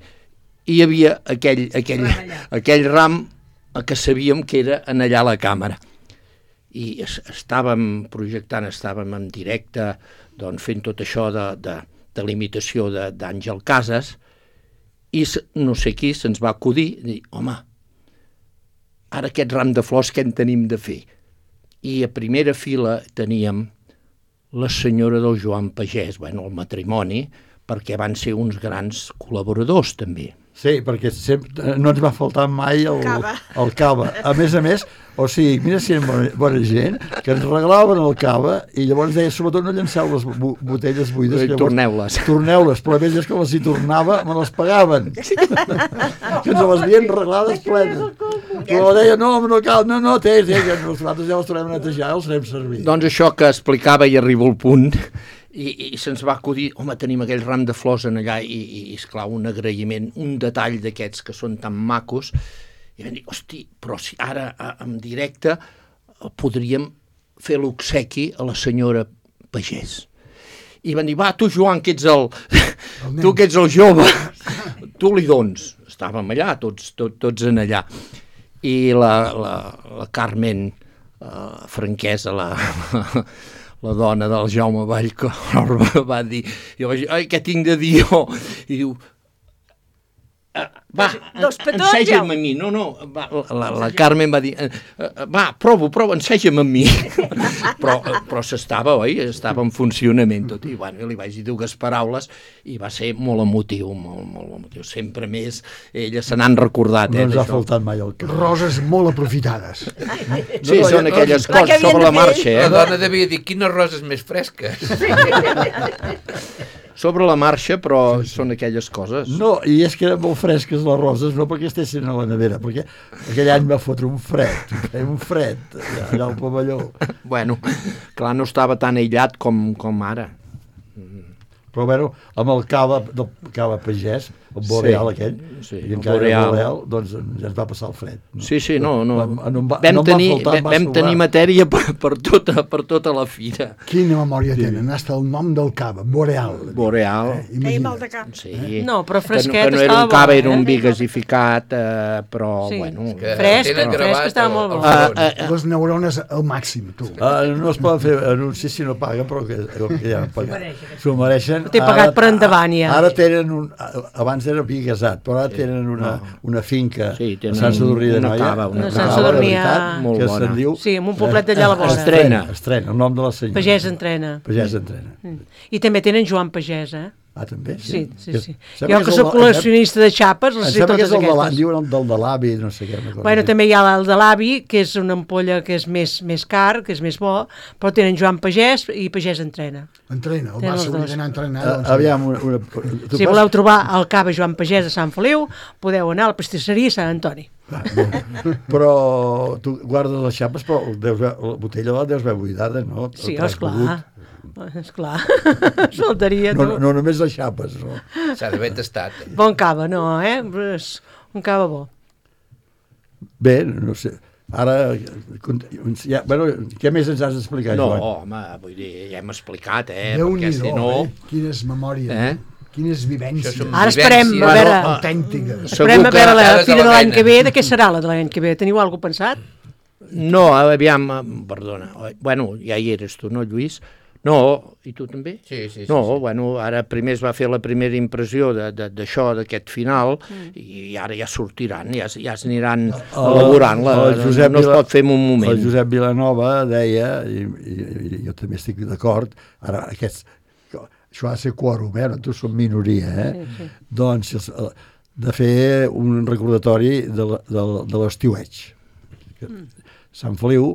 I hi havia aquell, aquell, aquell ram que sabíem que era en allà la càmera. I estàvem projectant, estàvem en directe, doncs fent tot això de, de, de l'imitació d'Àngel Casas, i no sé qui se'ns va acudir, dir, home, ara aquest ram de flors què en tenim de fer? I a primera fila teníem la senyora del Joan Pagès, bueno, el matrimoni, perquè van ser uns grans col·laboradors també. Sí, perquè sempre, no ens va faltar mai el cava. el cava. A més a més, o sigui, mira si eren bona, bona gent, que ens regalaven el cava i llavors deia, sobretot no llanceu les botelles buides. Torneu-les. Torneu-les, però a més és que les hi tornava, me les pagaven. Que ens les havien reglades plenes. Però deia, no, no cal, no, no, té, té, que nosaltres ja les tornem a netejar, els farem servir. Doncs això que explicava i arriba al punt, i, i se'ns va acudir, home, tenim aquell ram de flors en allà, i, i esclar, un agraïment, un detall d'aquests que són tan macos, i vam dir, hosti, però si ara en directe podríem fer l'obsequi a la senyora Pagès. I van dir, va, tu Joan, que ets el, el tu que ets el jove, tu li dons. Estàvem allà, tots, tot, tots en allà. I la, la, la Carmen uh, Franquesa, la... la dona del Jaume Vallco va dir, jo vaig dir, ai, què tinc de dir jo? I diu, va, enseja'm a mi. No, no, va, la, la Carmen va dir, va, provo, provo, enseja'm a mi. Però, però s'estava, oi? Estava en funcionament tot. I bueno, li vaig dir dues paraules i va ser molt emotiu, molt, molt emotiu. Sempre més, elles se n'han recordat. No eh, ens ha faltat mai el cap. Roses molt aprofitades. Sí, no, són aquelles no, coses sobre la marxa. Eh? La dona devia dir, quines roses més fresques. Sobre la marxa, però són aquelles coses. No, i és que eren molt fresques les roses, no perquè estessin a la nevera, perquè aquell any va fotre un fred, un fred, allà al pavelló. Bueno, clar, no estava tan aïllat com, com ara. Però, bueno, amb el cava, del cava Pagès, el boreal sí, aquell, sí, i encara boreal. el boreal, doncs ja ens va passar el fred. No? Sí, sí, no, no. Va, no va, vam no tenir, faltar, vam tenir matèria per, per, tota, per tota la fira. Quina memòria sí. tenen, hasta el nom del cava, boreal. Boreal. Eh, Feia mal de cap. Sí. Eh? No, però fresquet que no, que no estava era un cava, bo, era un eh? vi gasificat, eh, però, sí. bueno... Fresc, fresc estava molt bo. Uh, uh, uh, Les neurones al màxim, tu. Uh, no es poden fer anuncis si no paguen, però que, que ja han pagat. S'ho mereixen. T'he pagat per endavant, ja. Ara tenen un... Abans era vi gasat, però ara tenen una, una finca sí, a Sant Sadurní de Noia. Cava, una, una Sant Sadurní molt que bona. se'n diu... Sí, amb un poblet d'allà a la vora. Estrena. Estrena, el nom de la senyora. Pagès entrena. Pagès entrena. Mm. I també tenen Joan Pagès, eh? Ah, també? Sí, sí, sí. Que, jo que soc col·leccionista de xapes, les sé totes aquestes. Em diuen el del de l'avi, no sé què. Bueno, també hi ha el de l'avi, que és una ampolla que és més, més car, que és més bo, però tenen Joan Pagès i Pagès entrena. Entrena, el va s'hauria d'anar a entrenar. Uh, doncs, aviam, una... una si pas... voleu trobar el cava Joan Pagès a Sant Feliu, podeu anar a la pastisseria Sant Antoni. Ah, però tu guardes les xapes, però deus, la botella la deus haver buidada, no? Sí, esclar. Esclar, faltaria no, tu. No només les xapes, no? S'ha d'haver tastat. Eh? Bon cava, no, eh? Un cava bo. Bé, no sé. Ara, ja, bueno, què més ens has d'explicar, no, Joan? No, home, vull dir, ja hem explicat, eh? Déu-n'hi-do, si no... eh? Quines memòries, eh? Quines vivències. Ara esperem, a veure, autèntiques. esperem a veure la fira de l'any que ve, de què serà la de l'any que ve? Teniu alguna cosa pensat? No, aviam, perdona, bueno, ja hi eres tu, no, Lluís? No, i tu també? Sí, sí, sí. No, sí. bueno, ara primer es va fer la primera impressió d'això, d'aquest final, mm. i ara ja sortiran, ja, ja s'aniran elaborant-la, no, no es pot fer en un moment. El Josep Vilanova deia, i, i, i jo també estic d'acord, ara aquests, això ha de ser quòrum, eh? Tu som minoria, eh? Sí, sí. Doncs de fer un recordatori de l'estiueig. Mm. Sant Feliu,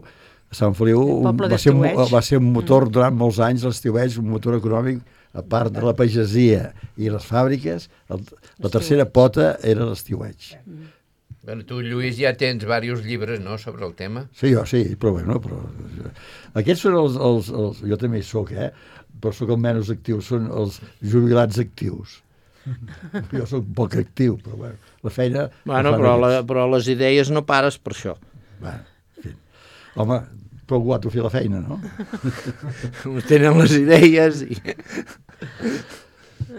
Sant Feliu va ser, va ser un motor durant molts anys, l'estiueig, un motor econòmic, a part de la pagesia i les fàbriques, el, la tercera pota era l'estiueig. Bueno, tu, Lluís, ja tens diversos llibres, no?, sobre el tema. Sí, jo sí, però bueno, però... Aquests són els, els, els... Jo també hi soc, eh? Però soc el menys actiu, són els jubilats actius. Jo soc poc actiu, però bueno, la feina... Bueno, però, la, però les idees no pares per això. Bueno, en fi. Home, prou guato fer la feina, no? Tenen les idees i...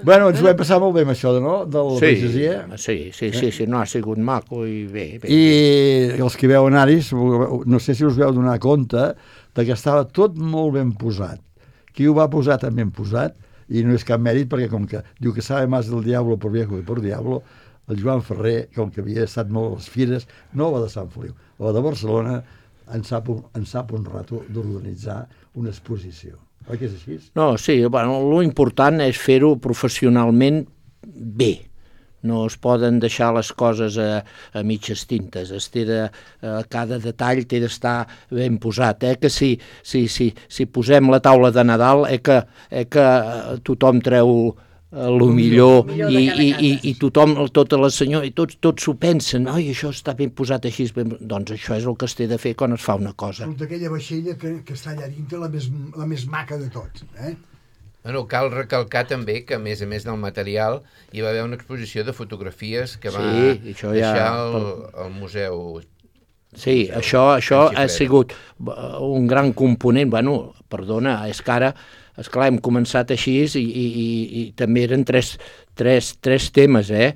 Bueno, ens ho hem passat molt bé amb això, no? De la sí, pagesia. Sí, sí, sí, sí, no ha sigut maco i bé, bé. I bé. Els que veuen Aris, no sé si us veu donar compte de que estava tot molt ben posat. Qui ho va posar també ben posat, i no és cap mèrit, perquè com que diu que sabe más del diablo por viejo que por diablo, el Joan Ferrer, com que havia estat molt a les fires, no va de Sant Feliu, va de Barcelona, en sap un, en sap un rato d'organitzar una exposició. Oi que és així? No, sí, bueno, l'important és fer-ho professionalment bé. No es poden deixar les coses a, a mitges tintes. Es té de, a cada detall té d'estar ben posat. Eh? Que si, si, si, si posem la taula de Nadal, eh que, eh que tothom treu el millor, millor i, i, i, i tothom, tota la senyora, i tots, tots s'ho pensen, oi, això està ben posat així, ben... doncs això és el que es té de fer quan es fa una cosa. Aquella vaixella que, que està allà dintre, la més, la més maca de tots, eh? Bueno, cal recalcar també que, a més a més del material, hi va haver una exposició de fotografies que va sí, deixar ja... el, el museu. Sí, museu això, això ha sigut un gran component. Bueno, perdona, és que ara esclar, hem començat així i, i, i, i també eren tres, tres, tres temes, eh?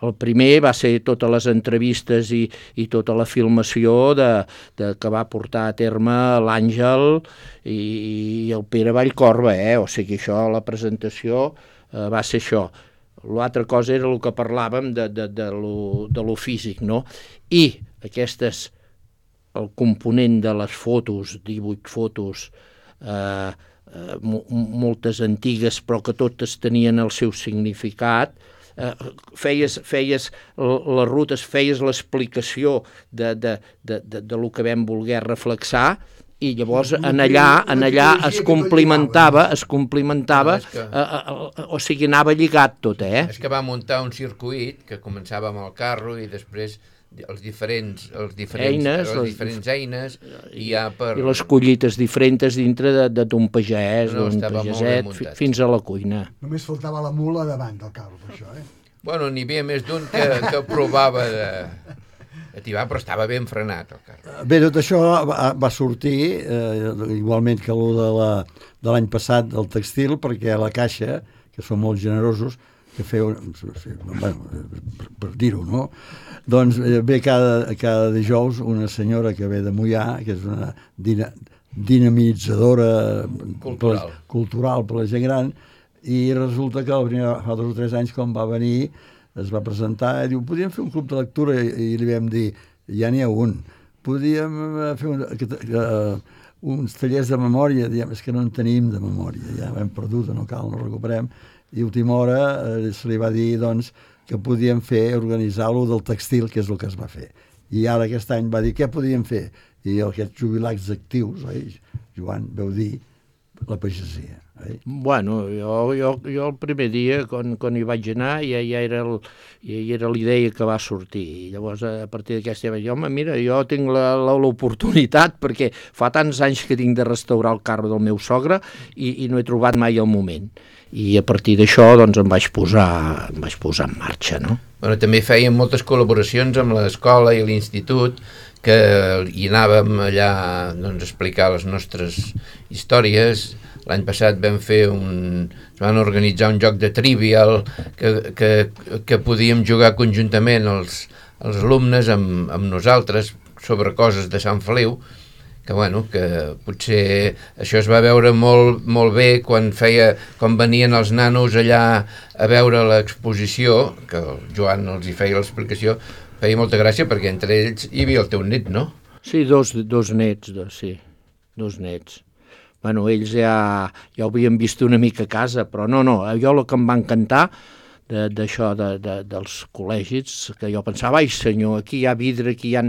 El primer va ser totes les entrevistes i, i tota la filmació de, de, que va portar a terme l'Àngel i, i el Pere Vallcorba, eh? O sigui, això, la presentació eh, va ser això. L'altra cosa era el que parlàvem de, de, de, lo, de lo físic, no? I aquestes, el component de les fotos, divuit fotos, eh, Uh, moltes antigues però que totes tenien el seu significat, uh, feies, feies les rutes, feies l'explicació de, de, de, de, de lo que vam voler reflexar i llavors en allà, en allà es complimentava, es complimentava, no, que... uh, uh, o sigui, anava lligat tot, eh? És que va muntar un circuit que començava amb el carro i després els diferents, els diferents eines, les diferents eines i, ja per... i les collites diferents dintre d'un pagès, no, d'un pageset, fins a la cuina. Només faltava la mula davant del carro, per això, eh? Bueno, n'hi havia més d'un que, que provava de... ativar, però estava ben frenat el carro. Bé, tot això va, va sortir, eh, igualment que el de la, de l'any passat del textil, perquè a la Caixa, que són molt generosos, que feu, bueno, per, per dir-ho, no? Doncs ve cada, cada dijous una senyora que ve de Moià, que és una dina, dinamitzadora cultural. Per, cultural per la gent gran, i resulta que el primer, fa dos o tres anys, quan va venir, es va presentar i diu, podríem fer un club de lectura, i, i li vam dir, ja n'hi ha un, podríem fer un, uh, uns tallers de memòria, diem, és que no en tenim de memòria, ja ho hem perdut, no cal, no recuperem, i a última hora eh, se li va dir doncs, que podíem fer, organitzar-lo del textil, que és el que es va fer. I ara aquest any va dir, què podíem fer? I aquests jubilats actius, oi? Joan, veu dir, la pagesia. Oi? Bueno, jo, jo, jo el primer dia, quan, quan hi vaig anar, ja, ja era el, ja era l'idea que va sortir. I llavors, a partir d'aquesta, vaig dir, home, mira, jo tinc l'oportunitat, perquè fa tants anys que tinc de restaurar el carro del meu sogre i, i no he trobat mai el moment. I a partir d'això doncs, em vaig posar, em vaig posar en marxa, no? Bueno, també fèiem moltes col·laboracions amb l'escola i l'institut, que hi anàvem allà doncs, a explicar les nostres històries. L'any passat vam fer un... es van organitzar un joc de trivial que, que, que podíem jugar conjuntament els, els alumnes amb, amb nosaltres, sobre coses de Sant Feliu, que bueno, que potser això es va veure molt, molt bé quan feia, quan venien els nanos allà a veure l'exposició, que el Joan els hi feia l'explicació, feia molta gràcia perquè entre ells hi havia el teu net, no? Sí, dos, dos nets, dos, sí, dos nets. Bueno, ells ja, ja ho havien vist una mica a casa, però no, no, jo el que em va encantar d'això de, de, dels col·legis, que jo pensava, ai senyor, aquí hi ha vidre, aquí hi ha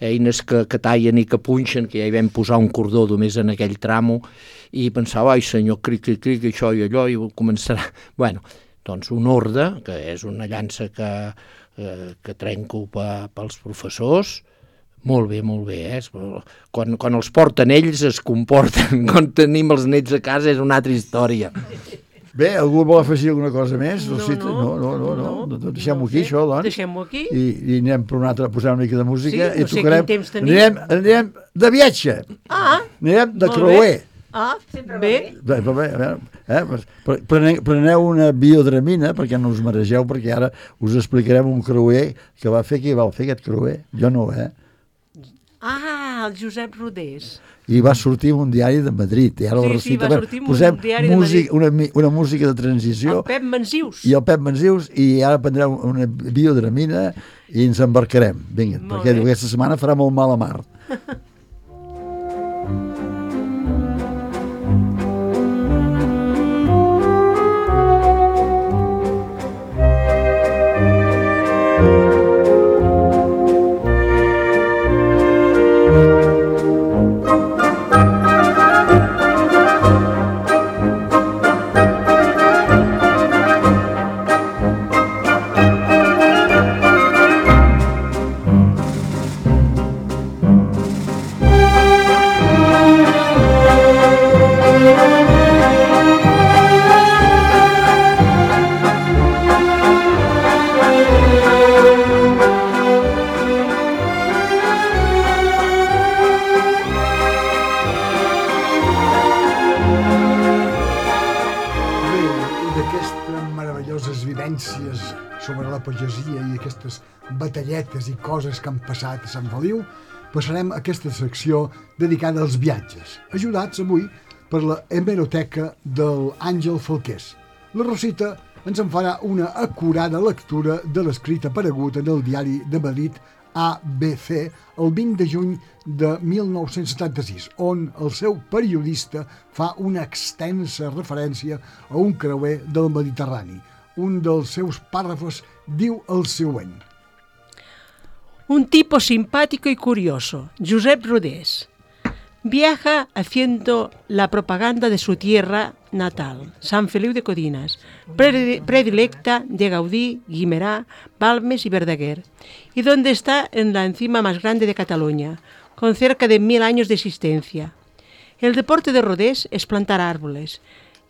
eines que, que tallen i que punxen, que ja hi vam posar un cordó només en aquell tramo, i pensava, ai senyor, cric, cric, cric, això i allò, i començarà... Bueno, doncs un orde, que és una llança que, eh, que trenco pa, pels professors, molt bé, molt bé, eh? Quan, quan els porten ells es comporten, quan tenim els nets a casa és una altra història. Bé, algú vol afegir alguna cosa més? No, no, no, no, no, no. no. Deixem-ho aquí, això, doncs. Deixem-ho aquí. I, i anem per una altra, a posar una mica de música. Sí, no i sé tocarem, quin temps tenim. Anirem, anirem de viatge. Ah, anirem de molt creuer. bé. Ah, bé. Bé, bé, bé, bé, eh? Preneu, preneu una biodramina perquè no us maregeu, perquè ara us explicarem un creuer que va fer, qui va fer aquest creuer? Jo no, eh? Ah, el Josep Rodés. I va sortir un diari de Madrid. I ara Sí, la sí, recita, va sortir posem un diari de música, Madrid. una, una música de transició. El Pep Manzius. I el Pep Manzius, i ara prendrem una biodramina i ens embarcarem. Vinga, Molt perquè bé. aquesta setmana farà molt mal a mar. sobre la pagesia i aquestes batalletes i coses que han passat a Sant Feliu, passarem a aquesta secció dedicada als viatges, ajudats avui per la hemeroteca del Àngel Falqués. La Rosita ens en farà una acurada lectura de l'escrit aparegut en el diari de Madrid A B C el vint de juny de mil nou-cents setanta-sis, on el seu periodista fa una extensa referència a un creuer del Mediterrani. Un dels seus párrafos diu el següent. Un tipo simpático y curioso, Josep Rodés, viaja haciendo la propaganda de su tierra natal, San Feliu de Codines, predilecta de Gaudí, Guimerá, Balmes y Verdaguer, y donde está en la encima más grande de Cataluña, con cerca de mil años de existencia. El deporte de Rodés es plantar árboles,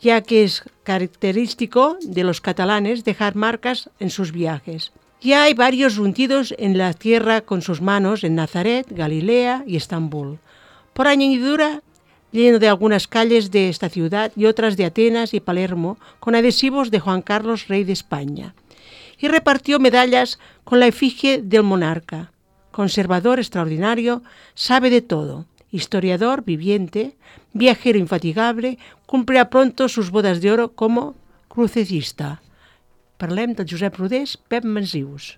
ya que es característico de los catalanes dejar marcas en sus viajes. Ya hay varios hundidos en la tierra con sus manos en Nazaret, Galilea y Estambul. Por añadidura, lleno de algunas calles de esta ciudad y otras de Atenas y Palermo, con adhesivos de Juan Carlos, rey de España. Y repartió medallas con la efigie del monarca. Conservador extraordinario, sabe de todo. Historiador viviente, viajero infatigable, cumplirá pronto sus bodas de oro como crucecista. Parlem del Josep Rodés, Pep Manzius.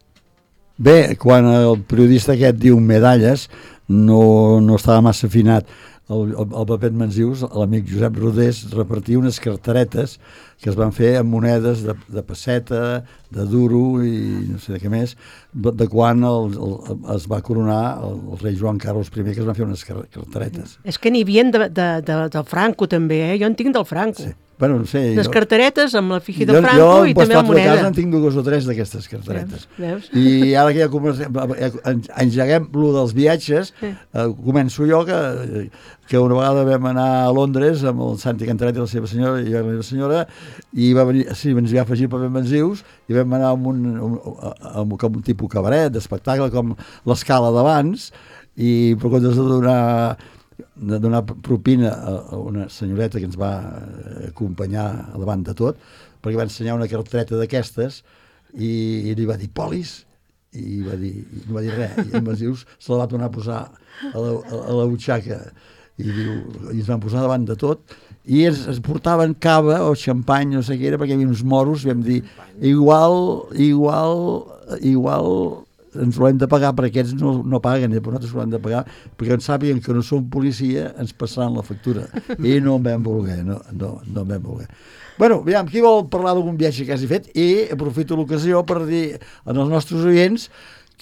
Bé, quan el periodista aquest diu medalles, no, no estava massa afinat. El, el, el Pep Manzius, l'amic Josep Rodés, repartia unes cartaretes que es van fer amb monedes de, de pesseta, de duro i no sé de què més, de quan el, el, es va coronar el, el rei Joan Carles primer, que es van fer unes cartaretes. És que n'hi havia de, de, de, del Franco també, eh? Jo en tinc del Franco. Sí. Bueno, no sé, les jo, cartaretes amb la figi del jo, Franco jo, i també la moneda. Jo, en casa en tinc dues o tres d'aquestes cartaretes. Veus? I ara que ja comencem, engeguem lo dels viatges, sí. eh, començo jo que, que una vegada vam anar a Londres amb el Santi Cantaret i la seva senyora i la meva senyora, i va venir, sí, ens va afegir per Manzius, i vam anar amb un, un, amb, com un tipus cabaret, d'espectacle, com l'Escala d'abans, i per comptes de donar de donar propina a una senyoreta que ens va acompanyar a davant de tot, perquè va ensenyar una cartreta d'aquestes i, i li va dir polis, i va dir, no va dir res, i en Basius se la va tornar a posar a la, a, a la butxaca i, diu, i ens van posar davant de tot i es, es portaven cava o xampany, no sé què era, perquè hi havia uns moros, vam dir, igual, igual, igual ens ho hem de pagar, perquè aquests no, no paguen, però nosaltres ho hem de pagar, perquè ens sàpiguen que no som policia, ens passaran la factura. I no en vam voler, no, no, no en vam voler. Bueno, aviam, qui vol parlar d'algun viatge que hagi fet? I aprofito l'ocasió per dir als nostres oients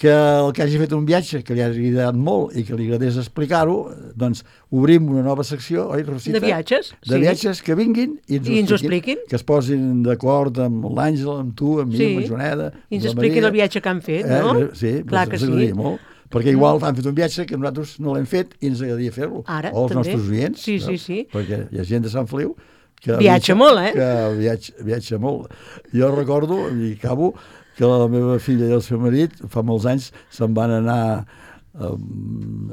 que el que hagi fet un viatge que li hagi agradat molt i que li agradés explicar-ho, doncs obrim una nova secció, oi, Rosita? De viatges, De sí. viatges que vinguin i ens, I ho, ens ho expliquin, expliquin. que es posin d'acord amb l'Àngel, amb tu, amb mi, Sí. amb la Joaneda, I ens amb la expliquin Maria. el viatge que han fet, no? Eh, sí, Clar ens que sí. agradaria molt, perquè igual han fet un viatge que nosaltres no l'hem fet i ens agradaria fer-lo. Ara, o els també. nostres oients. Sí, no? sí, sí. Perquè hi ha gent de Sant Feliu que Viatja molt, eh? Que viatja, viatja molt. Jo recordo, i acabo, que la meva filla i el seu marit fa molts anys se'n van anar a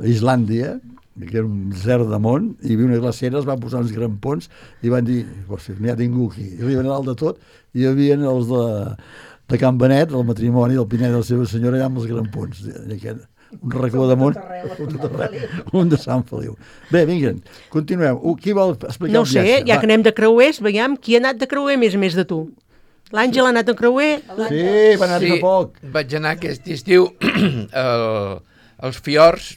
Islàndia, que era un desert de món, i hi havia una glacera, es van posar uns grampons i van dir, hòstia, n'hi ha ningú aquí. I arriben a dalt de tot i hi havia els de, de Can Benet, el matrimoni del Pinet de la seva senyora, allà amb els grampons. I aquest, un racó de món, un de Sant Feliu. Bé, vinguen, continuem. Uh, qui vol explicar No ho el sé, viatge? ja Va. que anem de creuers, veiem qui ha anat de creuer més a més de tu. L'Àngel ha anat en creuer? Sí, va anar Sí, fa poc. vaig anar aquest estiu al, als Fiords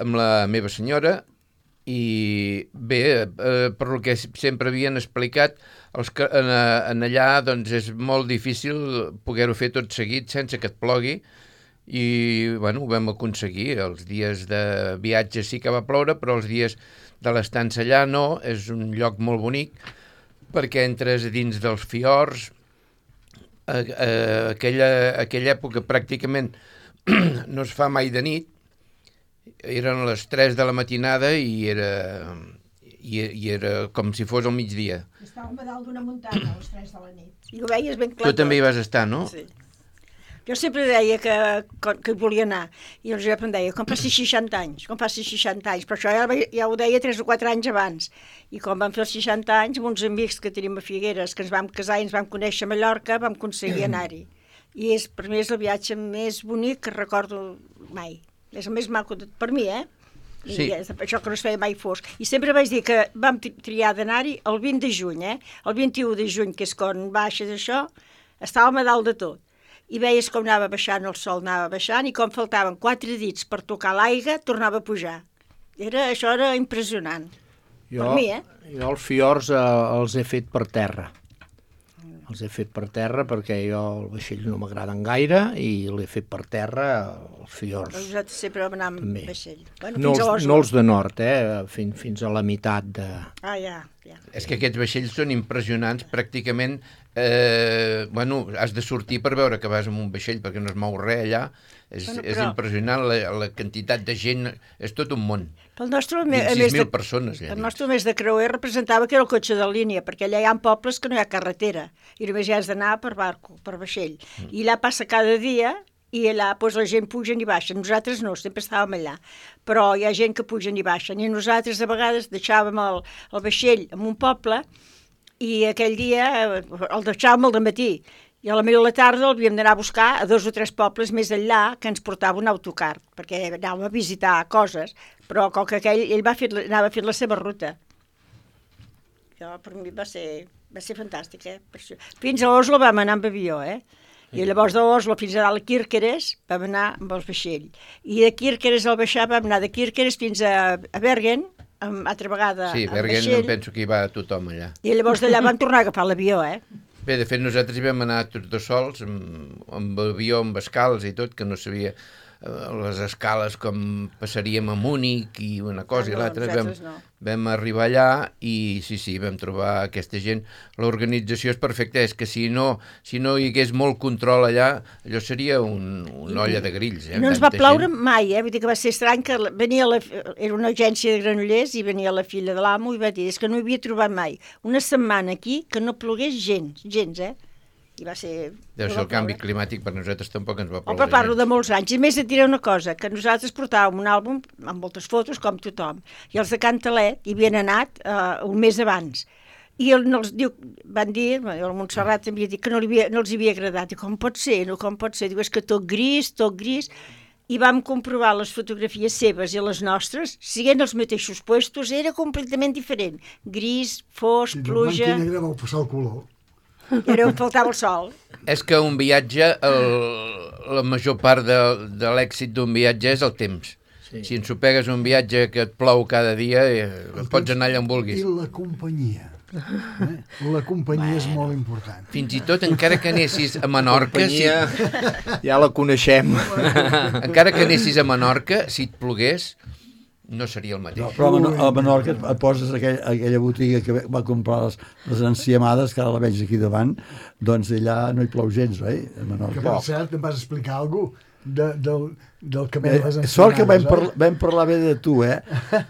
amb la meva senyora i bé, eh, per el que sempre havien explicat, els que, en, en allà doncs, és molt difícil poder-ho fer tot seguit sense que et plogui i bueno, ho vam aconseguir. Els dies de viatge sí que va ploure, però els dies de l'estança allà no, és un lloc molt bonic perquè entres dins dels fiords, a, a, aquella, aquella època pràcticament no es fa mai de nit, eren les tres de la matinada i era, i, i era com si fos al migdia. Estàvem a dalt d'una muntanya a les tres de la nit. I ho veies ben clar. Tu també hi vas estar, no? Sí. Jo sempre deia que, que hi volia anar, i el Josep em deia, com passi seixanta anys, com passi seixanta anys, però això ja, ja ho deia tres o quatre anys abans, i quan vam fer els seixanta anys, amb uns amics que tenim a Figueres, que ens vam casar i ens vam conèixer a Mallorca, vam aconseguir anar-hi. I és, per mi és el viatge més bonic que recordo mai. És el més maco, de, per mi, eh? I Sí. és això que no es feia mai fosc. I sempre vaig dir que vam triar d'anar-hi el vint de juny, eh? El vint-i-u de juny, que és quan baixes això, estàvem a dalt de tot. I veies com anava baixant, el sol anava baixant, i com faltaven quatre dits per tocar l'aigua, tornava a pujar. Era, això era impressionant. Jo, Per mi, eh? jo els fiords eh, els he fet per terra. Els he fet per terra perquè jo el vaixell no m'agraden gaire i l'he fet per terra els fiords. Nosaltres sempre vam anar amb També. vaixell. Bueno, No fins a els, Oslo. no els de nord, eh? Fins, fins a la meitat de... Ah, ja, ja. És que aquests vaixells són impressionants, pràcticament, eh, bueno, has de sortir per veure que vas amb un vaixell perquè no es mou res allà, és, Bueno, és però- impressionant, la, la quantitat de gent, és tot un món, Pel nostre, a més vint-i-sis de, mil persones allà el dins. nostre mes de creuer representava que era el cotxe de línia, perquè allà hi ha pobles que no hi ha carretera, i només hi has d'anar per barco, per vaixell. Mm. I allà passa cada dia, i allà doncs, la gent pugen i baixen. Nosaltres no, sempre estàvem allà. Però hi ha gent que pugen i baixen. I nosaltres a vegades deixàvem el, el vaixell en un poble i aquell dia eh, el deixàvem al dematí. I a la meva de la tarda l'havíem d'anar a buscar a dos o tres pobles més enllà que ens portava un autocar, perquè anàvem a visitar coses, però com que aquell, ell va fer, anava fent la seva ruta. Jo, per mi va ser, va ser fantàstic, eh? Per això. Fins a Oslo vam anar amb avió, eh? I llavors d'Oslo fins a dalt a Kirkeres vam anar amb el vaixell. I de Kirkeres al baixar vam anar de Kirkeres fins a, a Bergen, amb, altra vegada Sí, amb Bergen vaixell. em penso que hi va tothom allà. I llavors d'allà vam tornar a agafar l'avió, eh? Bé, de fet, nosaltres hi vam anar tots dos sols, amb, amb avió, amb escales i tot, que no sabia eh, les escales com passaríem a Múnich i una cosa Ah, i no, l'altra. Vam, nosaltres no. vam arribar allà i sí, sí, vam trobar aquesta gent. L'organització és perfecta, és que si no, si no hi hagués molt control allà, allò seria un, una olla de grills. Eh, No ens amb va tanta plaure gent. mai, eh? Vull dir que va ser estrany que la- venia la, era una agència de granollers i venia la filla de l'amo i va dir, és que no hi havia trobat mai una setmana aquí que no plogués gens, gens, eh? I va ser... Deu no ser va el canvi ploure. climàtic, per nosaltres tampoc ens va Oh, ploure. però parlo gens. de molts anys. I més et diré una cosa, que nosaltres portàvem un àlbum amb moltes fotos, com tothom, i els de Cantalet hi havien anat uh, un mes abans. I el, no els diu, van dir, el Montserrat havia dit que no, li havia, no els havia agradat. I com pot ser? No, com pot ser? Diu, és que tot gris, tot gris. I vam comprovar les fotografies seves i les nostres, siguent els mateixos puestos, era completament diferent. Gris, fosc, pluja... I de blanc i negre vau passar el color. Era on faltava el sol. És que un viatge, el, la major part de, de l'èxit d'un viatge és el temps. Sí. Si ensopegues un viatge que et plou cada dia, eh, pots anar allà on vulguis. I la companyia. Eh? La companyia bueno. és molt important. Fins i tot, encara que anessis a Menorca... Si... Ja la coneixem. Encara que anessis a Menorca, si et plogués, no seria el mateix. No, però a Menorca et poses aquell, aquella botiga que va comprar les, les enciamades, que ara la veig aquí davant, doncs allà no hi plou gens, oi? A Menorca. Que per cert, em vas explicar alguna cosa de, del, del camí de les enciamades. Sort que vam, parla, vam parlar bé de tu, eh?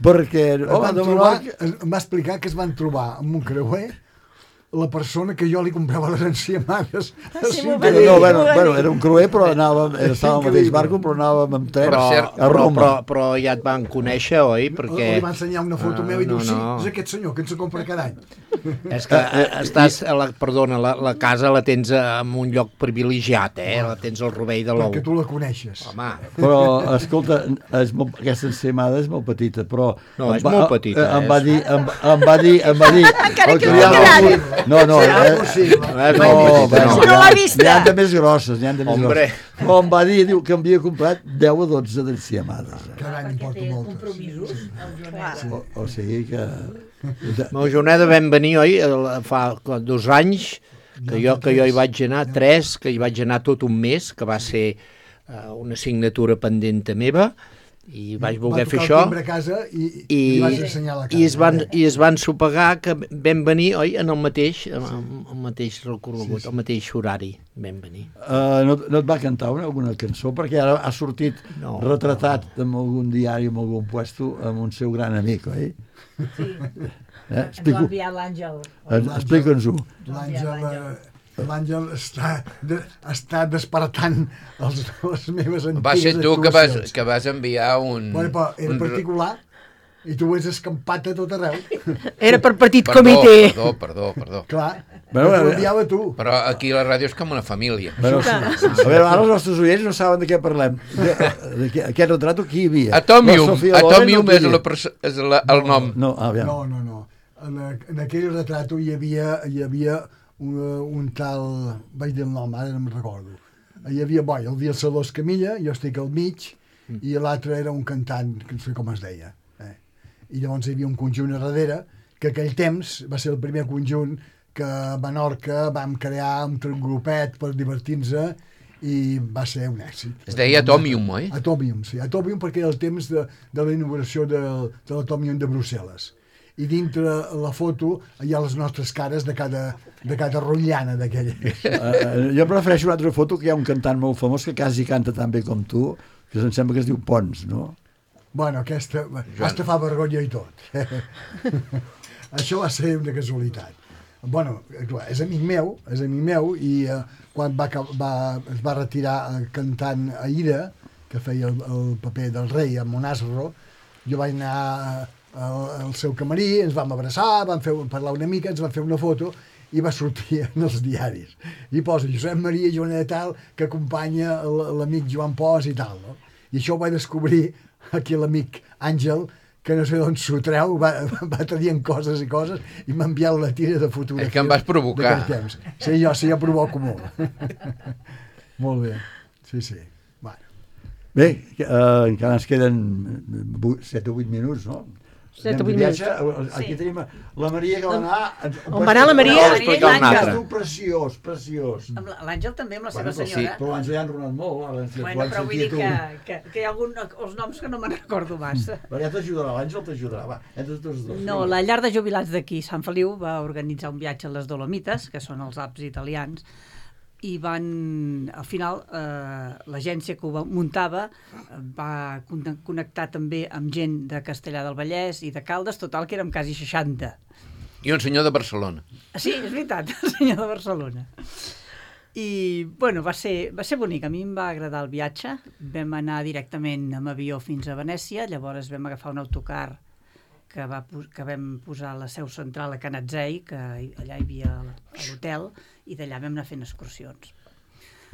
Perquè... Home, de Menorca... Em va explicar que es van trobar amb un creuer la persona que jo li comprava les enciamades. Ah, sí, no, no, bueno, bueno, era un creuer, però anàvem, estava al mateix barco, però anàvem amb tren però, a Roma. Però, però ja et van conèixer, oi? Perquè... Li va ensenyar una foto uh, meva i diu, no, no. sí, és aquest senyor que ens compra cada any. És que estàs, la, perdona, la, la casa la tens en un lloc privilegiat, eh? La tens al rovell de l'ou. Perquè tu la coneixes. Home. Però, escolta, és molt, aquesta enciamada és molt petita, però... No, és va, molt petita. Em va dir, em, em va dir, em va dir... Encara que no ha quedat. No, no, eh, no, no, no l'ha vista. N'hi ha de més grosses, n'hi ha de més Hombre. grosses. Però em va dir, diu, que m'havia comprat deu o dotze d'enciamades. Cada any em porto moltes. O, o sigui que... A Joneda vam venir, oi, fa dos anys, que jo, que jo hi vaig anar, tres, que hi vaig anar tot un mes, que va ser uh, una assignatura pendenta meva, i vaig voler fer això a casa i, i, i, i vaig ensenyar la casa. I es van, i es van sopegar que vam venir, oi, en el mateix, en el, el mateix recorregut, sí, sí. El mateix horari vam venir. Uh, no, no et va cantar una, alguna cançó? Perquè ara ha sortit no, retratat no. en algun diari, en algun puesto, amb un seu gran amic, oi? Sí, eh? ens va enviar l'Àngel. Explica'ns-ho. L'Àngel... L'Àngel està, de, està despertant els, les meves antigues va ser tu que vas, que vas enviar un... Bueno, però era un... particular i tu ho has escampat a tot arreu. Era per petit perdó, comitè. Perdó, perdó, perdó. Clar, bueno, t'ho enviava tu. Però aquí la ràdio és com una família. Bueno, sí, sí, sí. A veure, ara els nostres oients no saben de què parlem. De, de, de aquest retrato qui hi havia? Atomium, Atomium és, la, és la, el nom. No, no, no, no, no. En, en aquell retrato hi havia... Hi havia Un, un tal, vaig dir el nom, ara no me'n recordo. Hi havia, bo, hi havia el Salós Camilla, jo estic al mig, mm. i l'altre era un cantant, que no sé com es deia. Eh? I llavors hi havia un conjunt a darrere, que aquell temps va ser el primer conjunt que a Menorca vam crear un grupet per divertir-nos i va ser un èxit. Es deia Atomium, oi? Atomium, sí. Atomium perquè era el temps de, de la inauguració de, de l'Atomium de Brussel·les. I dintre la foto hi ha les nostres cares de cada, de cada rotllana d'aquella. Uh, jo prefereixo una altra foto que hi ha un cantant molt famós que quasi canta tan bé com tu, que em sembla que es diu Pons, no? Bueno, aquesta, aquesta fa vergonya i tot. Això va ser una casualitat. Bueno, clar, és amic meu, és amic meu, i uh, quan va, va, es va retirar cantant Aida, que feia el, el paper del rei a Monasro, jo vaig anar al, al seu camarí, ens vam abraçar, vam fer, parlar una mica, ens vam fer una foto i va sortir en els diaris. I posa Josep Maria Joneda tal, que acompanya l'amic Joan Pos i tal. No? I això ho vaig descobrir aquí l'amic Àngel, que no sé d'on s'ho treu, va, va traient coses i coses i m'ha enviat la tira de fotografia. És que em vas provocar. Temps. Sí, jo sí, jo provoco molt. Molt bé, sí, sí. Bé, uh, encara ens queden set o vuit minuts, no? set o vuit minuts. Aquí sí. Tenim la Maria que va anar... On va anar la Maria? L'Àngel. Preciós, preciós. L'Àngel també amb la bueno, seva senyora. Sí, però l'Àngel ja han ronat molt. Ara, bueno, però vull dir que, que, que hi ha algun, els noms que no me'n recordo massa. Però ja t'ajudarà, l'Àngel t'ajudarà. Va, entre tots dos. No, la llar de jubilats d'aquí, Sant Feliu, va organitzar un viatge a les Dolomites, que són els Alps italians, i van, al final, eh, l'agència que ho muntava va connectar també amb gent de Castellar del Vallès i de Caldes, total que érem quasi seixanta. I un senyor de Barcelona. Sí, és veritat, el senyor de Barcelona. I, bueno, va ser, va ser bonic, a mi em va agradar el viatge, vam anar directament amb avió fins a Venècia, llavors vam agafar un autocar que, va, que vam posar la seu central a Canatzei, que allà hi havia l'hotel, i d'allà vam anar fent excursions.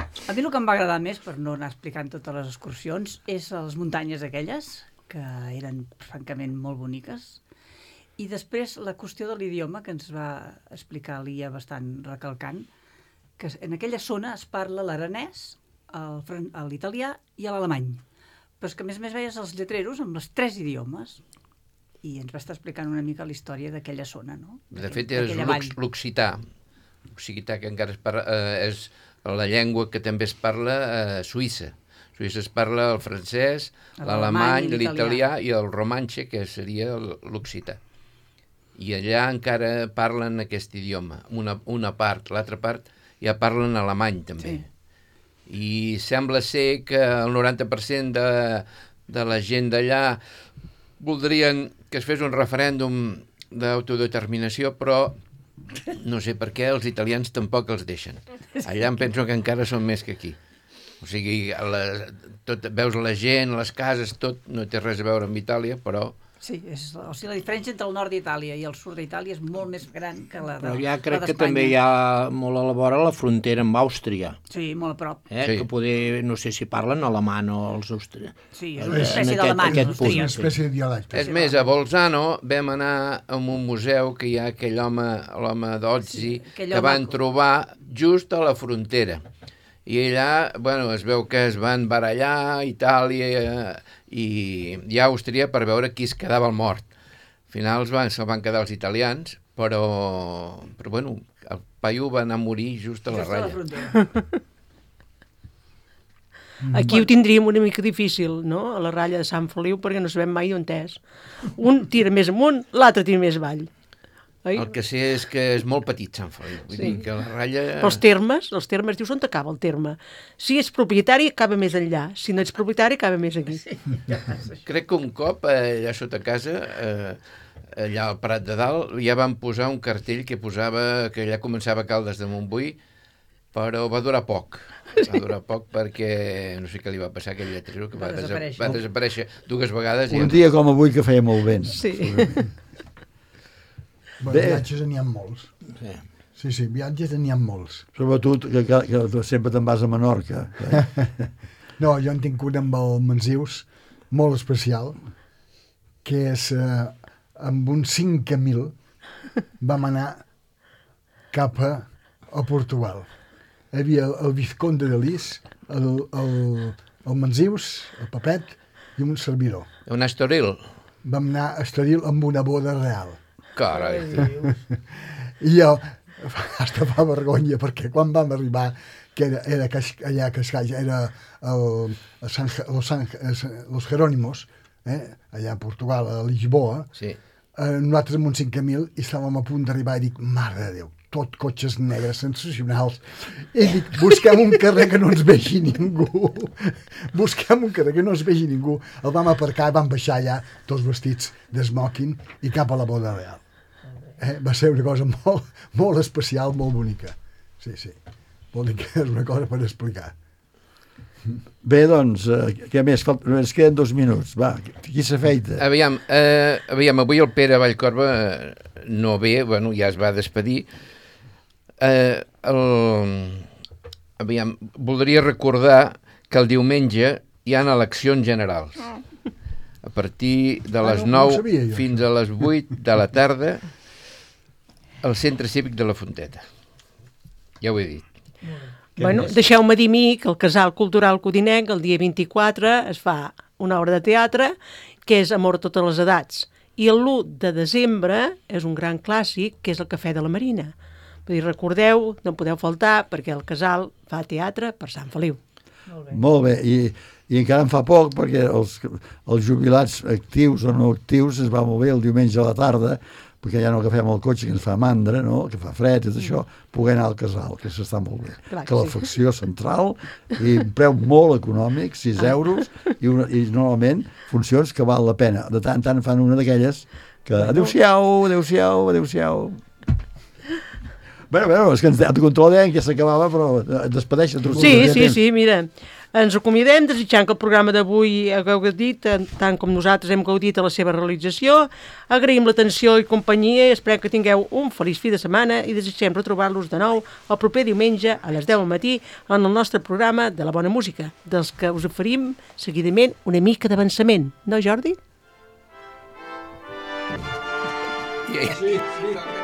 A mi el que em va agradar més, per no anar explicant totes les excursions, és les muntanyes aquelles, que eren francament molt boniques, i després la qüestió de l'idioma, que ens va explicar l'Ia bastant recalcant, que en aquella zona es parla l'aranès, l'italià i l'alemany. Però és que a més a més veies els lletreros amb els tres idiomes i ens va estar explicant una mica la història d'aquella zona, no? De fet, és l'occità, l'occità que encara es parla, eh, és la llengua que també es parla a Suïssa. A Suïssa es parla el francès, l'alemany, l'italià i el romanxe, que seria l'occità. I allà encara parlen aquest idioma, una, una part, l'altra part ja parlen alemany també. Sí. I sembla ser que el noranta per cent de, de la gent d'allà voldrien que es fes un referèndum d'autodeterminació, però no sé per què els italians tampoc els deixen. Allà em penso que encara són més que aquí. O sigui, la, tot, veus la gent, les cases, tot no té res a veure amb Itàlia, però... Sí, és, o sigui, la diferència entre el nord d'Itàlia i el sud d'Itàlia és molt més gran que la de, però ja crec que també hi ha molt a la vora la frontera amb Àustria. Sí, molt a prop. Eh? Sí. Que poder, no sé si parlen alemany o els austríacs. Sí, és una espècie d'alemany. És una espècie de dialecte. És més, a Bolzano vam anar a un museu que hi ha aquell home, l'home d'Ozzi, sí, que van maco. trobar just a la frontera. I allà, bueno, es veu que es van barallar Itàlia i, i Àustria per veure qui es quedava el mort. Al final van, se'l van quedar els italians, però, però bueno, el paio va anar a morir just a la just ratlla. Aquí ho tindríem una mica difícil, no?, a la ratlla de Sant Feliu, perquè no sabem mai on és. Un tira més amunt, l'altre tira més avall. Oi? El que sé és que és molt petit Sant Feliu. Vull sí. dir que la ratlla... Els termes, els termes, dius, on acaba el terme? Si ets propietari, acaba més enllà. Si no ets propietari, acaba més aquí. Sí. Crec que un cop, allà sota casa, eh, allà al Prat de Dalt, ja van posar un cartell que posava que allà començava Caldes de Montbui, però va durar poc. Va durar poc perquè no sé què li va passar a aquell lletrero, que va, va, desaparèixer. va desaparèixer dues vegades. Un dia com avui que feia molt vent. Sí. Bueno, viatges n'hi ha molts. Sí. sí, sí, viatges n'hi ha molts. Sobretot que, que, que sempre te'n vas a Menorca. Eh? No, jo en tinc un amb el Mansius, molt especial, que és eh, amb un cinc mil vam anar cap a, a Portugal. Hi havia el, el Vizconde de Lis, el, el, el Mansius, el Papet i un servidor. Un Estoril. Vam anar a Estoril amb una boda real. Carai. I jo, hasta fa vergonya, perquè quan vam arribar, que era, era allà a Cascais, era el, el San, los, San, los Jerónimos, eh, allà a Portugal, a Lisboa, sí. eh, nosaltres amb un cinc mil i estàvem a punt d'arribar i dic, mare de Déu, tot cotxes negres, sensacionals. I dic, busquem un carrer que no ens vegi ningú. Busquem un carrer que no ens vegi ningú. El vam aparcar i vam baixar allà, tots vestits d'esmoking, i cap a la boda real. Eh? Va ser una cosa molt, molt especial, molt bonica. Sí, sí. Vol dir que és una cosa per explicar. Bé, doncs, eh, què més? Ens queden dos minuts. Va, qui s'afeita? Aviam, eh, aviam, avui el Pere Vallcorba eh, no ve, bueno, ja es va despedir. Eh, el... Aviam, voldria recordar que el diumenge hi ha eleccions generals. A partir de les nou ah, no, no fins a les vuit de la tarda al Centre Cívic de la Fonteta. Ja ho he dit. Bueno, deixeu-me dir a mi que el Casal Cultural Codinenc el dia vint-i-quatre es fa una obra de teatre que és Amor a totes les edats. I el l'u de desembre és un gran clàssic que és el Cafè de la Marina. Vull dir, recordeu, no podeu faltar, perquè el Casal fa teatre per Sant Feliu. Molt bé. Molt bé. I, i encara en fa poc, perquè els, els jubilats actius o no actius es va molt bé el diumenge a la tarda, perquè ja no agafem el cotxe que ens fa mandra, no? Que fa fred i tot això, poder anar al Casal, que s'està molt bé. Clar, calefacció sí. central, i un preu molt econòmic, sis euros, i, una, i normalment funcions que val la pena. De tant en tant fan una d'aquelles que adéu-siau, adéu-siau, adéu-siau. Bueno, bueno, és que ens de control deien que s'acabava, però despedeixen. Sí, sí, sí, mira, Ens acomiadem desitjant que el programa d'avui hagueu gaudit, tant com nosaltres hem gaudit a la seva realització. Agraïm l'atenció i companyia i esperem que tingueu un feliç fi de setmana i desitgem retrobar-los de nou el proper diumenge a les deu del matí en el nostre programa de la bona música, dels que us oferim seguidament una mica d'avançament. No, Jordi? Sí, sí.